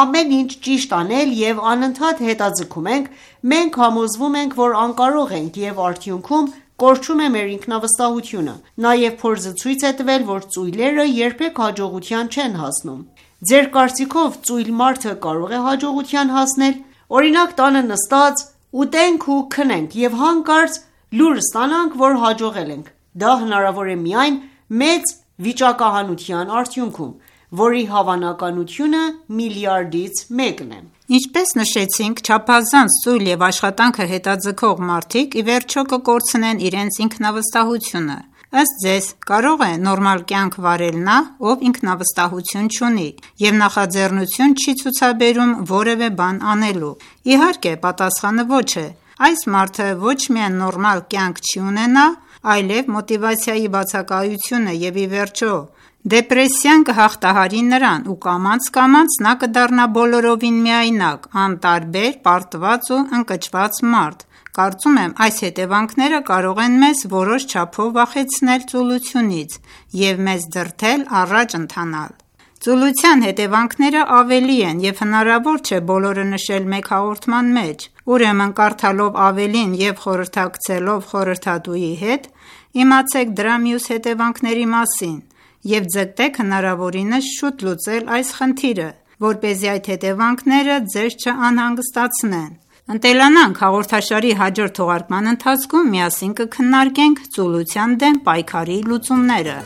ամեն ինչ ճիշտ անել և անընդհատ հետաձգում ենք, մենք համոզվում ենք, որ անկարող ենք և արդյունքում կորչում է մեր ինքնավստահությունը: Նաև փորձը ցույց է տվել, որ ծույլերը երբեք հաջողության չեն հասնում: Ձեր կարծիքով ծույլ մարդը կարո՞ղ է հաջողության հասնել: Օրինակ տանը նստած ուտենք ու քնենք և հանկարծ լուր ստանանք, որ հաջողել ենք: Դա հնարավոր է միայն մեծ վիճակահանության արդյունքում, որի հավանականությունը միլիարդից մեկն է: Ինչպես նշեցինք, չափազանց ծույլ և աշխատանքը հետաձգող մարդիկ ի վերջո կկորցնեն իրենց ինքնավստահությունը: Ըստ Ձեզ, կարո՞ղ է նորմալ կյանք վարել նա, ով ինքնավստահություն չունի և նախաձեռնություն չի ցուցաբերում որևէ բան անելու: Իհարկե պատասխանը ոչ է: Այս մարդը ոչ միայն նորմալ կյանք չի ունենա, այլև մոտիվացիայի բացակայությունը և ի վերջո դեպրեսիան կհաղթահարի նրան ու կամաց-կամաց նա կդառնա բոլորովին միայնակ, անտարբեր, պարտված ու ընկճված մարդ: Կարծում եմ այս հետևանքները կարող են մեզ որոշ չափով վախեցնել ծուլությունից և մեզ դրդել առաջ ընթանալ: Ծուլության հետևանքները ավելի են և հնարավոր չէ բոլորը նշել մեկ հաղորդման մեջ: Ուրեմն կարդալով ավելին և խորհրդակցելով խորհրդատուի հետ, իմացեք դրա մյուս հետևանքների մասին և ձգտեք հնարավորինս շուտ լուծել այս խնդիրը, որպեսզի այդ հետևանքները ձեզ չանհանգստացնեն: «Ընտելանանք» հաղորդաշարի հաջորդ թողարկման ընթացքում միասին կքննարկենք ծուլության դեմ պայքարի լուծումները: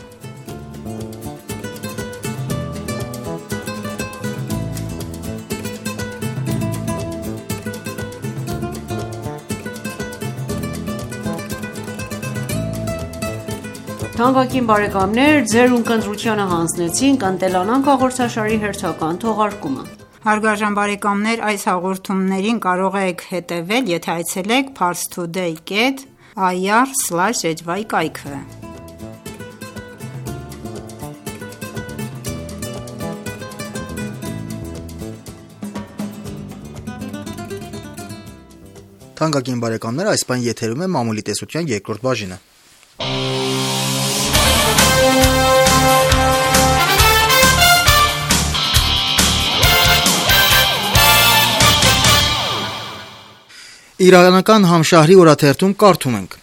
Այս հաղորդումներին կարող եք հետևել եթե այցելեք parstoday dot ir slash hy կայքը: Թանկագին բարեկամներ, այս պահին եթերում է մամուլի տեսության երկրորդ բաժինը: Իրանական Համշահրի օրաթերթում կարդում ենք.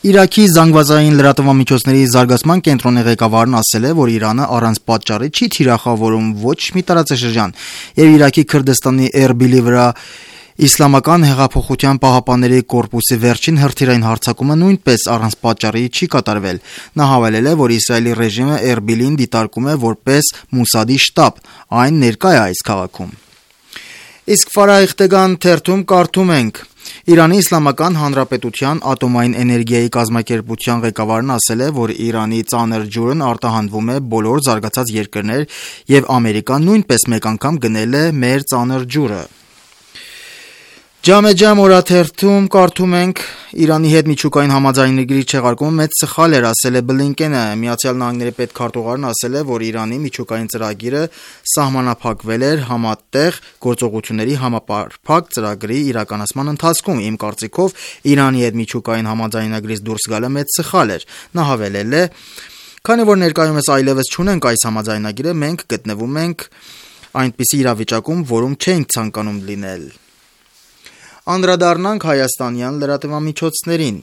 Իրաքի զանգվածային լրատվամիջոցների զարգացման կենտրոնի ղեկավարն ասել է, որ Իրանը առանց պատճառի չի թիրախավորում ոչ մի տարածաշրջան և Իրաքի Քրդստանի Էրբիլի վրա Իսլամական հեղափոխության պահապանների կորպուսի վերջին հրթիռային հարձակումը նույնպես առանց պատճառի չի կատարվել։ Նա հավելել է, որ Իսրայելի ռեժիմը Էրբիլին դիտարկում է որպես Մոսադի շտաբ, այն ներկա է այս քաղաքում։ Իսկ Ֆարայխտեգան թերթում կարդում ենք. Իրանի Իսլամական Հանրապետության ատոմային էներգիայի կազմակերպության ղեկավարն ասել է, որ Իրանի ծանր ջուրն արտահանվում է բոլոր զարգացած երկրներ եւ Ամերիկան նույնպես մեկ անգամ գնել է մեր ծանր ջուրը։ Ջամեջամ օրաթերթում կարդում ենք. Իրանի հետ միջուկային համաձայնագրի չեղարկումը մեծ սխալ էր, ասել է Բլինկենը։ Միացյալ Նահանգների պետքարտուղարն ասել է, որ Իրանի միջուկային ծրագիրը սահմանափակվել էր համատեղ գործողությունների համապարփակ ծրագրի իրականացման ընթացքում։ Իմ կարծիքով Իրանի հետ միջուկային համաձայնագրից դուրս գալը մեծ սխալ էր։ Նա հավելել է. Քանի որ ներկայումս այլևս չունենք այս համաձայնագիրը, մենք գտնվում ենք այնպիսի իրավիճակում, որում չենք ցանկանում լինել։ Անդրադառնանք հայաստանյան լրատվամիջոցներին։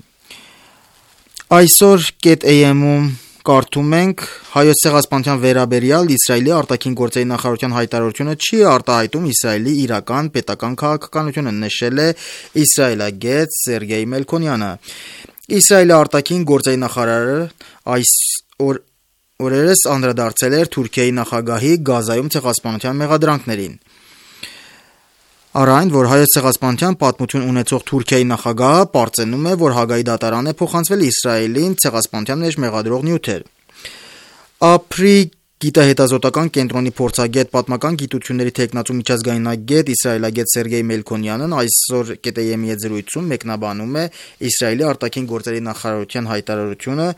Այսօր .am-ում կարդում ենք. Հայոց ցեղասպանության վերաբերյալ Իսրայելի արտաքին գործերի նախարարության հայտարարությունը չի արտահայտում Իսրայելի իրական պետական քաղաքականությունը, նշել է իսրայելագետ Սերգեյ Մելքոնյանը։ Իսրայելի արտաքին գործերի նախարարը այս օր օրերս անդրադարձել էր Թուրքիայի նախագահի Գազայում ցեղասպանության մեղադրանքներին։ Առ այն, որ հայոց ցեղասպանության պատմություն ունեցող Թուրքիայի նախագահը պարծենում է, որ Հագայի դատարան է փոխանցվել Իսրայելին ցեղասպանության մեջ մեղադրող նյութեր։ Ապրի գիտահետազոտական կենտրոնի փորձագետ, պատմական գիտությունների թեկնածու միջազգայնագետ իսրայելագետ Սերգեյ Մելքոնյանն այսօր .am-ի հետ զրույցում մեկնաբանում է Իսրայելի արտաքին գործերի նախարարության հայտարարությունը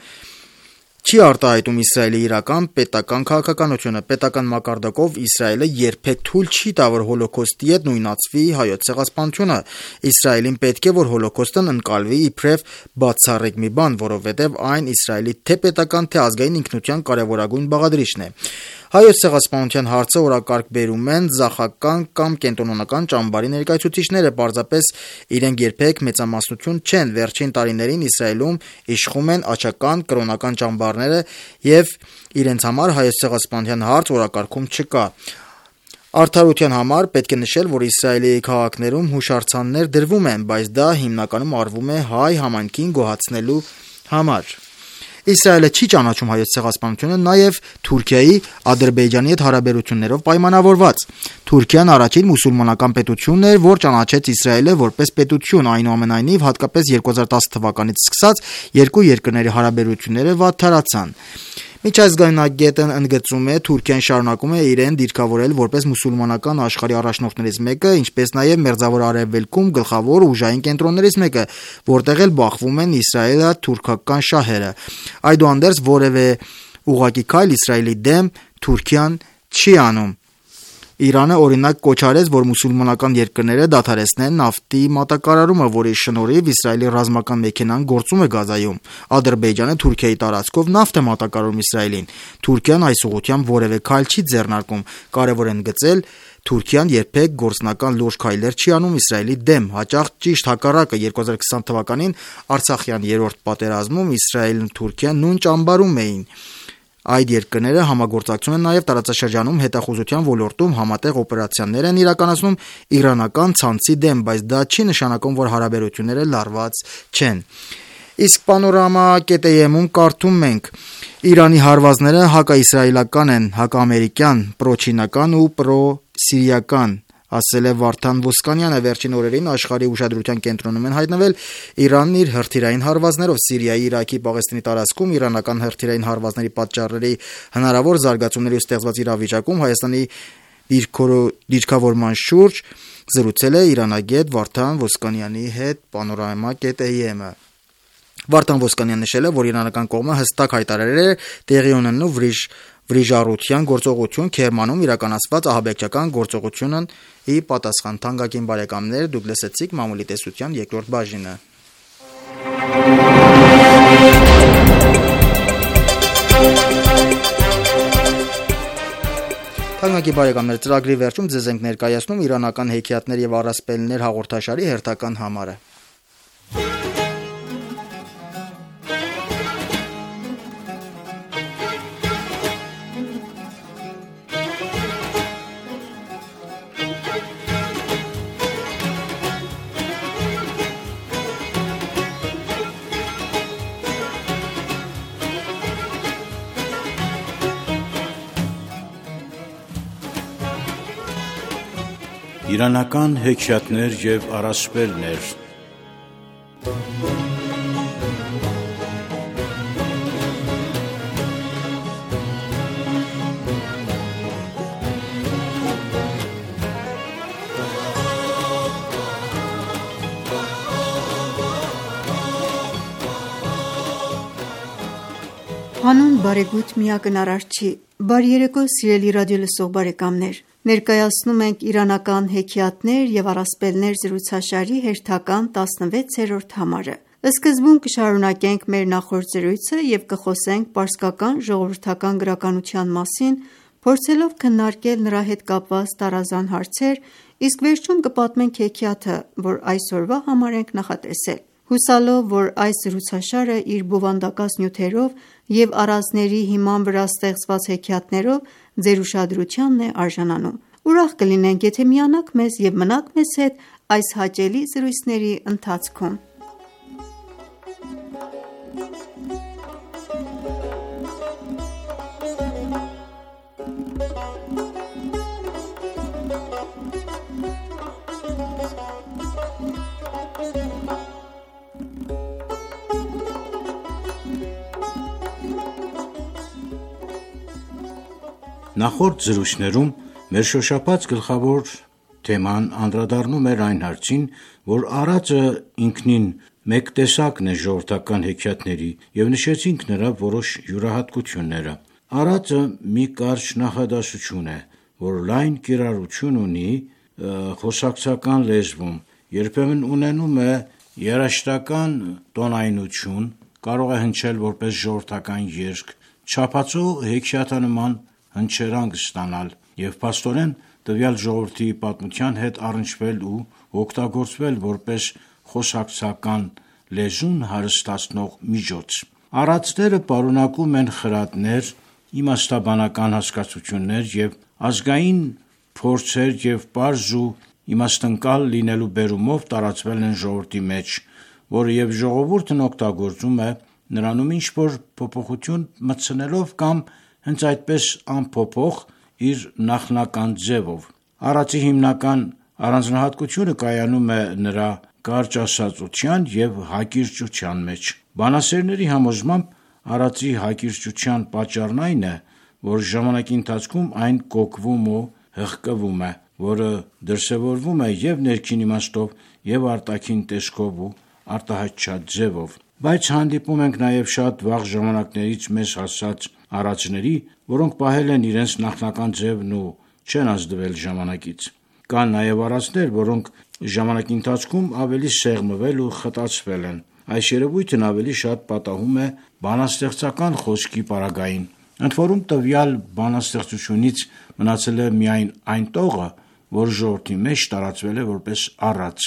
չի արտահայտում Իսրայելի իրական պետական քաղաքականությունը։ Պետական մակարդակով Իսրայելը երբեք թույլ չի տա, որ հոլոկոստի հետ նույնացվի հայոց ցեղասպանությունը։ Իսրայելին պետք է, որ հոլոկոստն ընկալվի իբրև բացառիկ մի բան, որովհետև այն Իսրայելի թե պետական, թե ազգային ինքնության կարևորագույն բաղադրիչն է։ Հայոց ցեղասպանության հարցը օրակարգ բերում են ձախական կամ կենտրոնական ճամբարի ներկայացուցիչները, պարզապես իրենք երբեք մեծամասնություն չեն։ Վերջին տարիներին Իսրայելում իշխում են աջական կրոնական ճամբարները եւ իրենց համար հայոց ցեղասպանության հարց օրակարգում չկա։ Արդարության համար պետք է նշել, որ Իսրայելի քաղաքներում հուշարձաններ դրվում են, բայց դա հիմնականում արվում է հայ համայնքին գոհացնելու համար։ Իսրայելը չի ճանաչում հայոց ցեղասպանությունը նաև Թուրքիայի Ադրբեջանի հետ հարաբերություններով պայմանավորված։ Թուրքիան առաջին մուսուլմանական պետությունն էր, որ ճանաչեց Իսրայելը որպես պետություն, այնուամենայնիվ հատկապես երկու հազար տասը թվականից սկսած երկու երկրների հարաբերությունները վատթարացան։ Միջազգայնագետն ընդգծում է, Թուրքիան շարունակում է իրեն դիրքավորել որպես մուսուլմանական աշխարհի առաջնորդներից մեկը, ինչպես նաև Մերձավոր Արևելքում գլխավոր ուժային կենտրոններից մեկը, որտեղ էլ բախվում են իսրայելա-թուրքական շահերը։ Այդուհանդերձ որևէ ուղղակի քայլ Իսրայելի դեմ Թուրքիան չի անում։ Իրանը օրինակ կոչ արեց, որ մուսուլմանական երկրները դադարեցնեն նավթի մատակարարումը, որի շնորհիվ Իսրայելի ռազմական մեքենան գործում է Գազայում։ Ադրբեջանը Թուրքիայի տարածքով նավթ է մատակարարում Իսրայելին։ Թուրքիան այս ուղղությամբ որևէ քայլ չի ձեռնարկում։ Կարևոր է ընդգծել, Թուրքիան երբեք գործնական լուրջ քայլեր չի անում Իսրայելի դեմ, հաճախ ճիշտ հակառակը։ երկու հազար քսան թվականին Արցախյան երրորդ պատերազմում Իսրայելն ու Թուրքիան նույն ճամբարում էին։ Այդ երկրները համագործակցում են նաև տարածաշրջանում հետախուզության ոլորտում համատեղ օպերացիաներ են իրականացնում իրանական ցանցի դեմ, բայց դա չի նշանակում, որ հարաբերությունները լարված չեն։ Իսկ Panorama .am-ում կարդում ենք. Իրանի հարվածները հակաիսրայելական են, հակաամերիկյան, պրոչինական ու պրոսիրիական, ասել է Վարդան Ոսկանյանը։ Վերջին օրերին աշխարհի ուշադրության կենտրոնում են հայտնվել Իրանն իր հրթիռային հարվածներով։ Սիրիայի, Իրաքի, Պաղեստինի տարածքում իրանական հրթիռային հարվածների պատճառների հնարավոր զարգացումների ու ստեղծված իրավիճակում Հայաստանի դիրքավորման շուրջ զրուցել է իրանագետ Վարդան Ոսկանյանի հետ Panorama .am-ը։ Վարդան Ոսկանյանն նշել է, որ իրանական կողմը հստակ հայտարարել է տեղի ունենալու վրիժ վրիժառության գործողություն Քերմանում իրականացված ահաբեկչական գործողությունն ի պատասխան։ Թանկագին բարեկամներ, դուք լսեցիք մամուլի տեսության երկրորդ բաժինը։ Թանկագին բարեկամներ, ծրագրի վերջում ձեզ ենք ներկայացնում իրանական հեքիաթներ եւ առասպելներ հաղորդաշարի հերթական համարը։ Իրանական հեքիաթներ և առասպելներ։ Հանուն բարեգութ միակնարար չի, բարի երեկո սիրելի ռադիոլսող բարեկամներ: Ներկայացնում ենք իրանական հեքիաթներ և առասպելներ զրուցաշարի հերթական տասնվեցերորդ համարը: Սկզբում կշարունակենք մեր նախորդ զրույցը և կխոսենք պարսկական ժողովրդական գրականության մասին, փորձելով քննարկել նրա հետ կապված տարազան հարցեր, իսկ վերջում կպատմենք հեքիաթը, որ այսօրվա համար ենք նախատեսել: Հուսալով, որ այս զրուցաշարը իր բովանդակած նյութերով և առանձների հիման վրա ստեղծված հեքիաթներով ձեր ուշադրությանն է արժանանում: Ուրախ կլինենք, եթե միանաք մեզ և մնաք մեզ հետ այս հաճելի զրույցների ընթացքում: Նախորդ զրույցներում մեր շոշափած գլխավոր թեման անդրադառնում էր այն հարցին, որ առածը ինքնին մեկ տեսակն է ժողովրդական հեքիաթների և նշեցինք նրա որոշ յուրահատկությունները: Առածը մի կարճ նախադասություն է, որ լայն կիրառություն ունի խոսակցական լեզվում, երբեմն ունենում է երաժշտական տոնայնություն, կարող է հնչել որպես ժողովրդական երգ, չափածո հեքիաթանման հնչերանգ ստանալ և փաստորեն տվյալ ժողովրդի պատմության հետ առնչվել ու օգտագործվել որպես խոսակցական լեզուն հարստացնող միջոց: Առածները պարունակում են խրատներ, իմաստաբանական հասկացություններ և ազգային փորձեր և պարզ ու իմաստնկալ լինելու բերումով տարածվել են ժողովրդի մեջ, որը և ժողովուրդն օգտագործում է նրանում ինչ-որ փոփոխություն մտցնելով կամ հենց այդպես անփոփոխ իր նախնական ձևով: Առածի հիմնական առանձնահատկությունը կայանում է նրա կարճասածության և հակիրճության մեջ: Բանասերների համոզմամբ առածի հակիրճության պատճառն այն է, որ ժամանակի ընթացքում այն կոկվում ու հղկվում է, որը դրսևորվում է և ներքին իմաստով և արտաքին տեսքով ու արտահայտչած ձևով: Բայց հանդիպում ենք նաև շատ վաղ ժամանակներից մեզ հասած առածների, որոնք պահել են իրենց նախնական ձևն ու չեն ազդվել ժամանակից: Կան նաև առածներ, որոնք ժամանակի ընթացքում ավելի սեղմվել ու խտացվել են: Այս երևույթն ավելի շատ պատահում է բանաստեղծական խոսքի պարագային: Ընդորում տվյալ բանաստեղծությունից մնացել է միայն այն տողը, որ ժողովրդի մեջ տարածվել է որպես առած: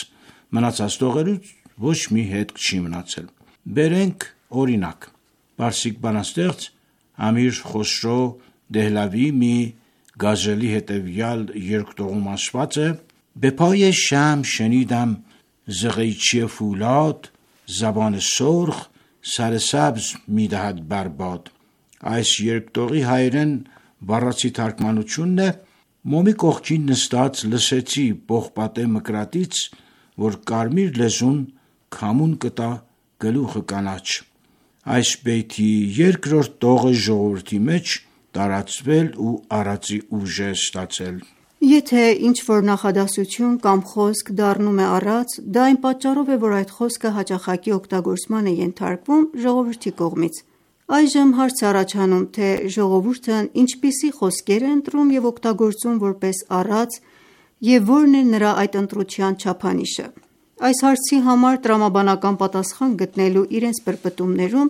Մնացած տողերից ոչ մի հետք չի մնացել: Բերենք օրինակ. պարսիկ բանաստեղծ Ամիր Խոսրո Դեհլավիի մի գազելի հետևյալ երկտողում ասված է. «Be pay sham shenidam z qeychi fulad zaban surkh sar sabz mi dahad bar bad»: Այս երկտողի հայերեն բառացի թարգմանությունն է. «Մոմի կողքին նստած լսեցի պողպատե մկրատից, որ կարմիր լեզուն քամուն կտա գլուխը կանաչ»: Այս բեյթի երկրորդ տողը ժողովրդի մեջ տարածվել ու առածի ուժ է ստացել: Եթե ինչ-որ նախադասություն կամ խոսք դառնում է առած, դա այն պատճառով է, որ այդ խոսքը հաճախակի օգտագործման է ենթարկվում ժողովրդի կողմից: Այժմ հարց է առաջանում, թե ժողովուրդն ինչպիսի խոսքեր է ընտրում և օգտագործում որպես առած և որն է նրա այդ ընտրության չափանիշը: Այս հարցի համար տրամաբանական պատասխան գտնելու իրենց պրպտումներում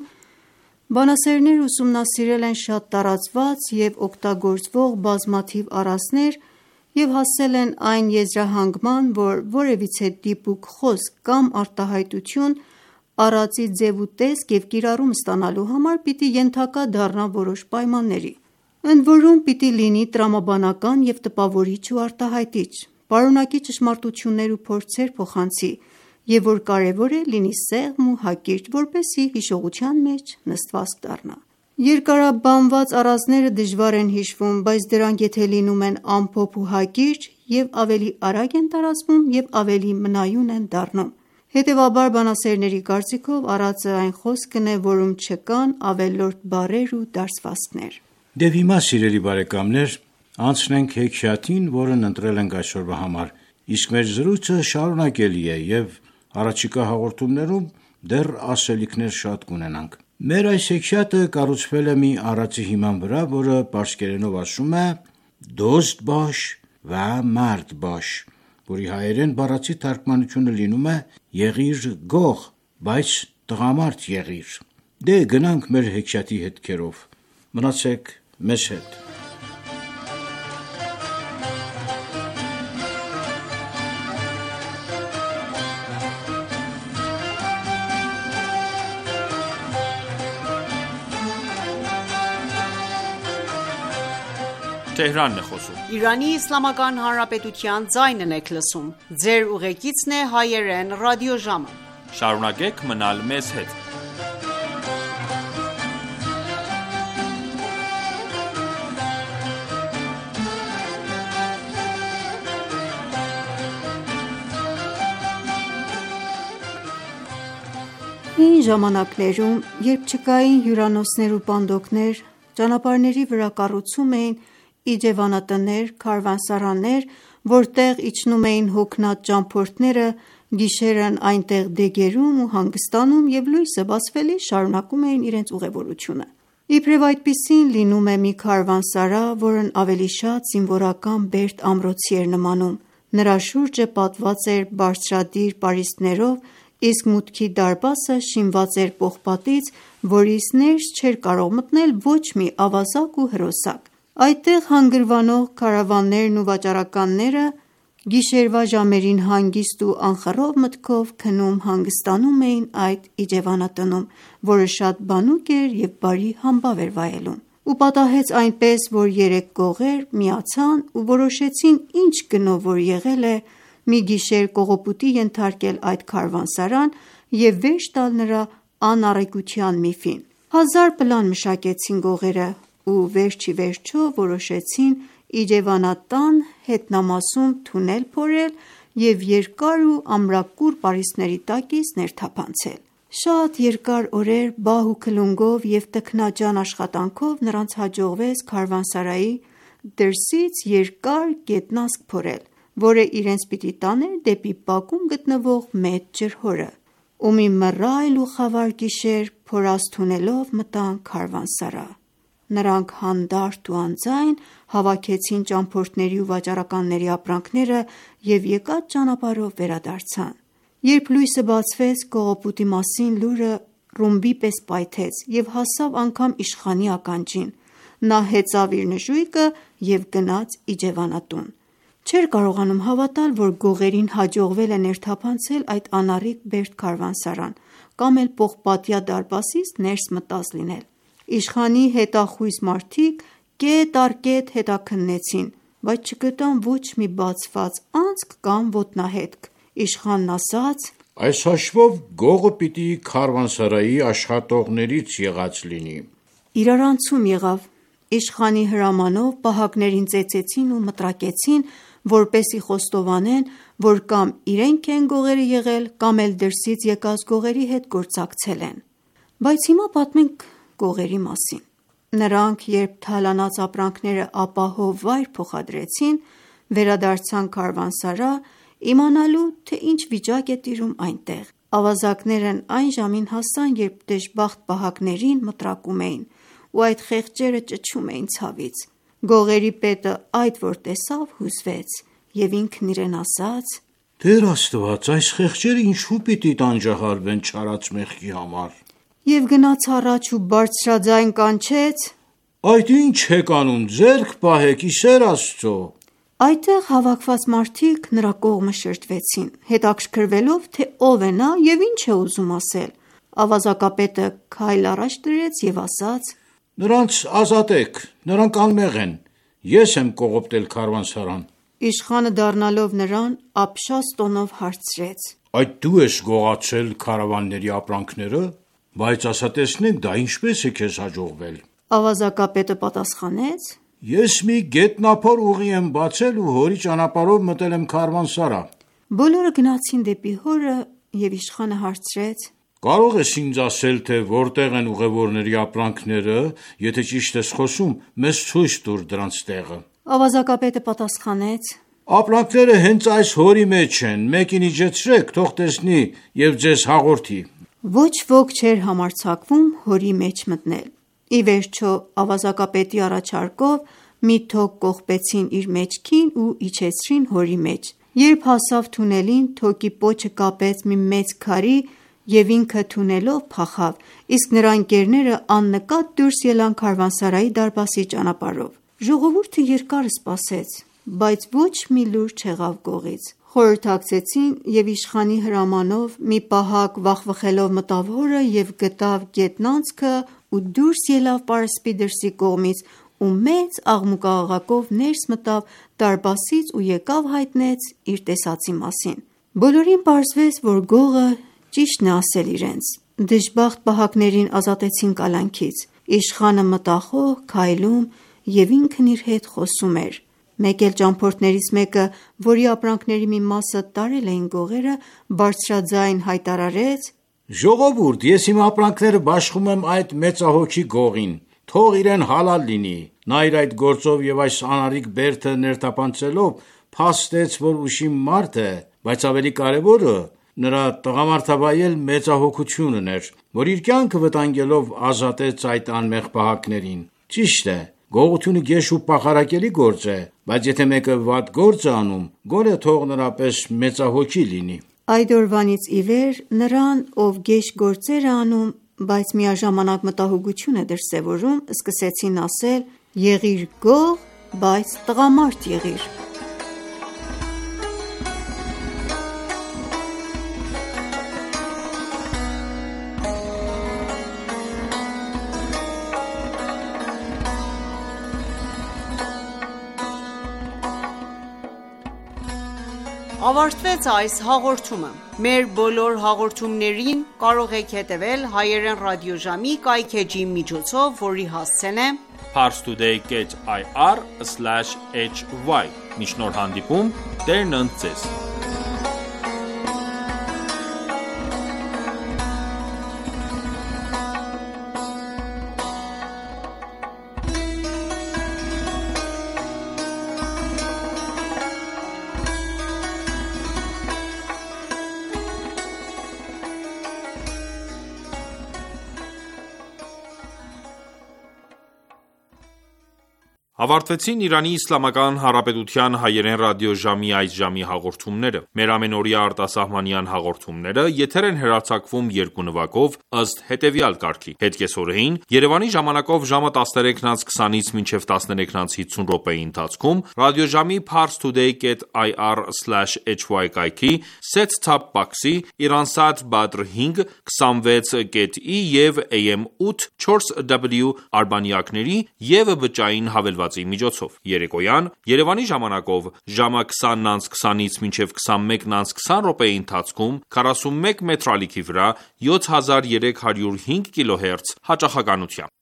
բանասերները ուսումնասիրել են շատ տարածված և օգտագործվող բազմաթիվ առածներ և հասել են այն եզրահանգման, որ որևիցե դիպուկ խոսք կամ արտահայտություն առածի ձև ու տեսք և կիրառում ստանալու համար պիտի ենթակա դառնա որոշ պայմանների: Ընդորում պիտի լինի տրամաբանական և տպավորիչ ու արտահայտիչ, պարունակի ճշմարտություններ ու փորձեր փոխանցի և որ կարևոր է լինի սեղմ ու հակիրճ, որպեսզի հիշողության մեջ նստվածք դառնա: Երկարաբանված առածները դժվար են հիշվում, բայց դրանք եթե լինում են ամփոփ ու հակիրճ, և ավելի արագ են տարածվում և ավելի մնայուն են դառնում: Հետևաբար, բանասերների կարծիքով, առածը այն խոսքն է, որում չկան ավելորդ բառեր ու դարսվածքներ: Դե հիմա, սիրելի բարեկամներ, անցնենք հեքիաթին, որն ընտրել ենք այսօրվա համար, իսկ մեր զրույցը շարունակելի է և առաջիկա հաղորդումներում դեռ ասելիքներ շատ կունենանք: Մեր այս հեքիաթը կառուցվել է մի առածի հիման վրա, որը պարսկերենով ասում է «Դոզդ բաշ վա մարդ բաշ», որի հայերեն բառացի թարգմանությունը լինում է «Եղիր գող, բայց տղամարդ եղիր»: Դե գնանք մեր հեքիաթի հետքերով: Մնացեք մեզ հետ: Հին ժամանակներում, երբ չկային հյուրանոցներ ու պանդոկներ, ճանապարհների վրա կառուցում էին իջևանատներ, քարավանսարաններ, որտեղ իջնում էին հոգնած ճամփորդները, գիշերն այնտեղ դեգերում ու հանգստանում և լույսը բացվելիս շարունակում էին իրենց ուղևորությունը: Իբրև այդպիսին լինում է մի քարավանսարա, որն ավելի շատ զինվորական բերդ ամրոցի էր նմանում: Նրա շուրջը պատված էր բարձրադիր պարիսպներով, իսկ մուտքի դարպասը շինված էր պողպատից, որից ներս չէր կարող մտնել ոչ մի ավազակ ու հրոսակ: Այդտեղ հանգրվանող քարավաններն ու վաճառականները գիշերվա ժամերին հանգիստ ու անխռով մտքով քնում-հանգստանում էին այդ իջևանատնում, որը շատ բանուկ էր և բարի համբավ էր վայելում: Ու պատահեց այնպես, որ երեք գողեր միացան ու որոշեցին ինչ գնով որ եղել է, մի գիշեր կողոպուտի ենթարկել այդ քարավանսարան և վերջ տալ նրա անառիկության միֆին: Հազար պլան մշակեցին գողերը ու վերջիվերջո որոշեցին իջևանատան հետնամասում թունել փորել և երկար ու ամրակուր պարիսպների տակից ներթափանցել: Շատ երկար օրեր բահ ու քլունգով և տքնաջան աշխատանքով նրանց հաջողվեց քարավանսարայի դրսից երկար գետնասկ փորել, որը իրենց պիտի տաներ դեպի բակում գտնվող մեծ ջրհորը: Ու մի մռայլ ու խավար գիշեր փորած թունելով մտան քարավանսարա: Նրանք հանդարտ ու անձայն հավաքեցին ճամփորդների ու վաճառականների ապրանքները և եկած ճանապարհով վերադարձան: Երբ լույսը բացվեց, կողոպուտի մասին լուրը ռումբի պես պայթեց և հասավ անգամ իշխանի ականջին: Նա հեծավ իր նժույգը և գնաց իջևանատուն: Չէր կարողանում հավատալ, որ գողերին հաջողվել է ներթափանցել այդ անառիկ բերդ քարավանսարան կամ էլ պողպատյա դարպասից ներս մտած լինել: Իշխանի հետախույզ մարդիկ կետ առ կետ հետաքննեցին, բայց չգտան ոչ մի բացված անցք կամ ոտնահետք: Իշխանն ասաց. «Այս հաշվով գողը պիտի քարավանսարայի աշխատողներից եղած լինի»: Իրարանցում եղավ: Իշխանի հրամանով պահակներին ծեծեցին ու մտրակեցին, որպեսզի խոստովանեն, որ կամ իրենք են գողերը եղել կամ էլ դրսից եկած գողերի հետ գործակցել են: Բայց հիմա պատմենք գողերի մասին: Նրանք երբ թալանած ապրանքները ապահով վայր փոխադրեցին, վերադարձան քարավանսարա իմանալու, թե ինչ վիճակ է տիրում այնտեղ: Ավազակներն այն ժամին հասան, երբ դժբախտ պահակներին մտրակում էին ու այդ խեղճերը ճչում էին ցավից: Գողերի պետը այդ որ տեսավ հուզվեց և ինքն իրեն ասաց. «Տեր Աստված, այս խեղճերը ինչու պիտի տանջահարվեն չարած մեղքի համար»: Եվ գնաց առաջ ու բարձրաձայն կանչեց. «Այդ ի՞նչ եք անում, ձեռք պահեք, ի սեր Աստծո»: Այդտեղ հավաքված մարդիկ նրա կողմը շրջվեցին, հետաքրքրվելով, թե ով է նա և ինչ է ուզում ասել: Ավազակապետը քայլ առաջ դրեց և ասաց. «Նրանց ազատեք, նրանք անմեղ են, ես եմ կողոպտել քարավանսարան»: Իշխանը դառնալով նրան ապշած տոնով հարցրեց. «Այդ դու ես գողացել քարավանների ապրանքները»: Բայց ասա տեսնենք, դա ինչպես է քեզ հաջողվել։ Ավազակապետը պատասխանեց. Ես մի գետնափոր ուղի եմ բացել ու հորի ճանապարհով մտել եմ քարվանսարա։ Բոլորը գնացին դեպի հորը և իշխանը հարցրեց. Կարող ես ինձ ասել, թե որտեղ են ուղևորների ապրանքները, եթե ճիշտ ես խոսում, մեզ ցույց տուր դրանց տեղը։ Ավազակապետը պատասխանեց. Ապրանքները հենց այս հորի մեջ են, մեկին իջեցրեք, թող տեսնի և ձեզ հաղորդի։ Ոչ ոք չէր համարձակվում հորի մեջ մտնել։ Ի վերջո ավազակապետի առաջարկով մի թոկ կողպեցին իր մեջքին ու իջեցրին հորի մեջ։ Երբ հասավ թունելին, թոկի պոչը կապեց մի մեծ քարի և ինքը թունելով փախավ, իսկ նրա ընկերները աննկատ դուրս ելան քարվանսարայի դարպասի ճանապարհով։ Ժողովուրդը երկար սպասեց, բայց ոչ մի լուր չեղավ գողից։ Խորհրդակցեցին և իշխանի հրամանով մի պահակ վախվխելով մտավ հորը և գտավ գետնանցքը ու դուրս ելավ պարսպի դրսի կողմից ու մեծ աղմուկաղաղակով ներս մտավ դարպասից ու եկավ հայտնեց իր տեսածի մասին։ Բոլորին պարզվեց, որ գողը ճիշտն է ասել իրենց։ Դժբախտ պահակներին ազատեցին կալանքից։ Իշխանը մտախոհ, քայլում և ինքն իր հետ խոսում էր։ Մեկ էլ ճամփորդներից մեկը, որի ապրանքների մի մասը տարել էին գողերը, բարձրաձայն հայտարարեց. Ժողովուրդ, ես իմ ապրանքները բաշխում եմ այդ մեծահոգի գողին, թող իրեն հալալ լինի։ Նա իր այդ գործով և այս անարիք բերդը ներթափանցելով փաստեց, որ ուշիմ մարդ է, բայց ավելի կարևորը նրա տղամարդավայել մեծահոգությունն էր, որ իր կյանքը վտանգելով ազատեց այդ անմեղ պահակներին։ Ճիշտ է, գողությունը գեշ ու պախարակելի գործ է, բայց եթե մեկը վատ գործ է անում, գոնե թող նրա պես մեծահոգի լինի։ Այդ օրվանից ի վեր նրան, ով գեշ գործեր է անում, բայց միաժամանակ մտահոգություն է դրսևորում, սկսեցին ասել. եղիր գող, բայց տղամարդ եղիր։ Ավարտվեց այս հաղորդումը։ Մեր բոլոր հաղորդումներին կարող եք հետևել հայերեն ռադիոժամի կայքէջի միջոցով, որի հասցեն է parstoday dot i r slash h y։ Մինչ նոր հանդիպում, Տերն ընդ ձեզ։ Ավարտվեցին Իրանի Իսլամական Հանրապետության հայերեն ռադիոժամի այս ժամի հաղորդումները։ Մեր ամենօրյա արտասահմանյան հաղորդումները եթեր են հեռարձակվում երկու նվագով ըստ հետևյալ կարգի։ Հետկեսօրեին Երևանի ժամանակով ժամը տասներեքն անց քսանից մինչև տասներեքն անց հիսուն րոպեի ընթացքում ռադիոժամի parstoday dot i r slash h y կայքի set-top box-ի Iransat Badr հինգ քսանվեց կետ ի և A M ութ չորս W արբանյակների և բջջային հավելվածի միջոցով։ Երեկոյան Երևանի ժամանակով ժամը քսանն անց քսանից մինչև քսանմեկն անց քսան րոպեի ընթացքում քառասունմեկ մետրալիքի վրա յոթ հազար երեք հարյուր հինգ կիլոհերց հաճախականությամբ։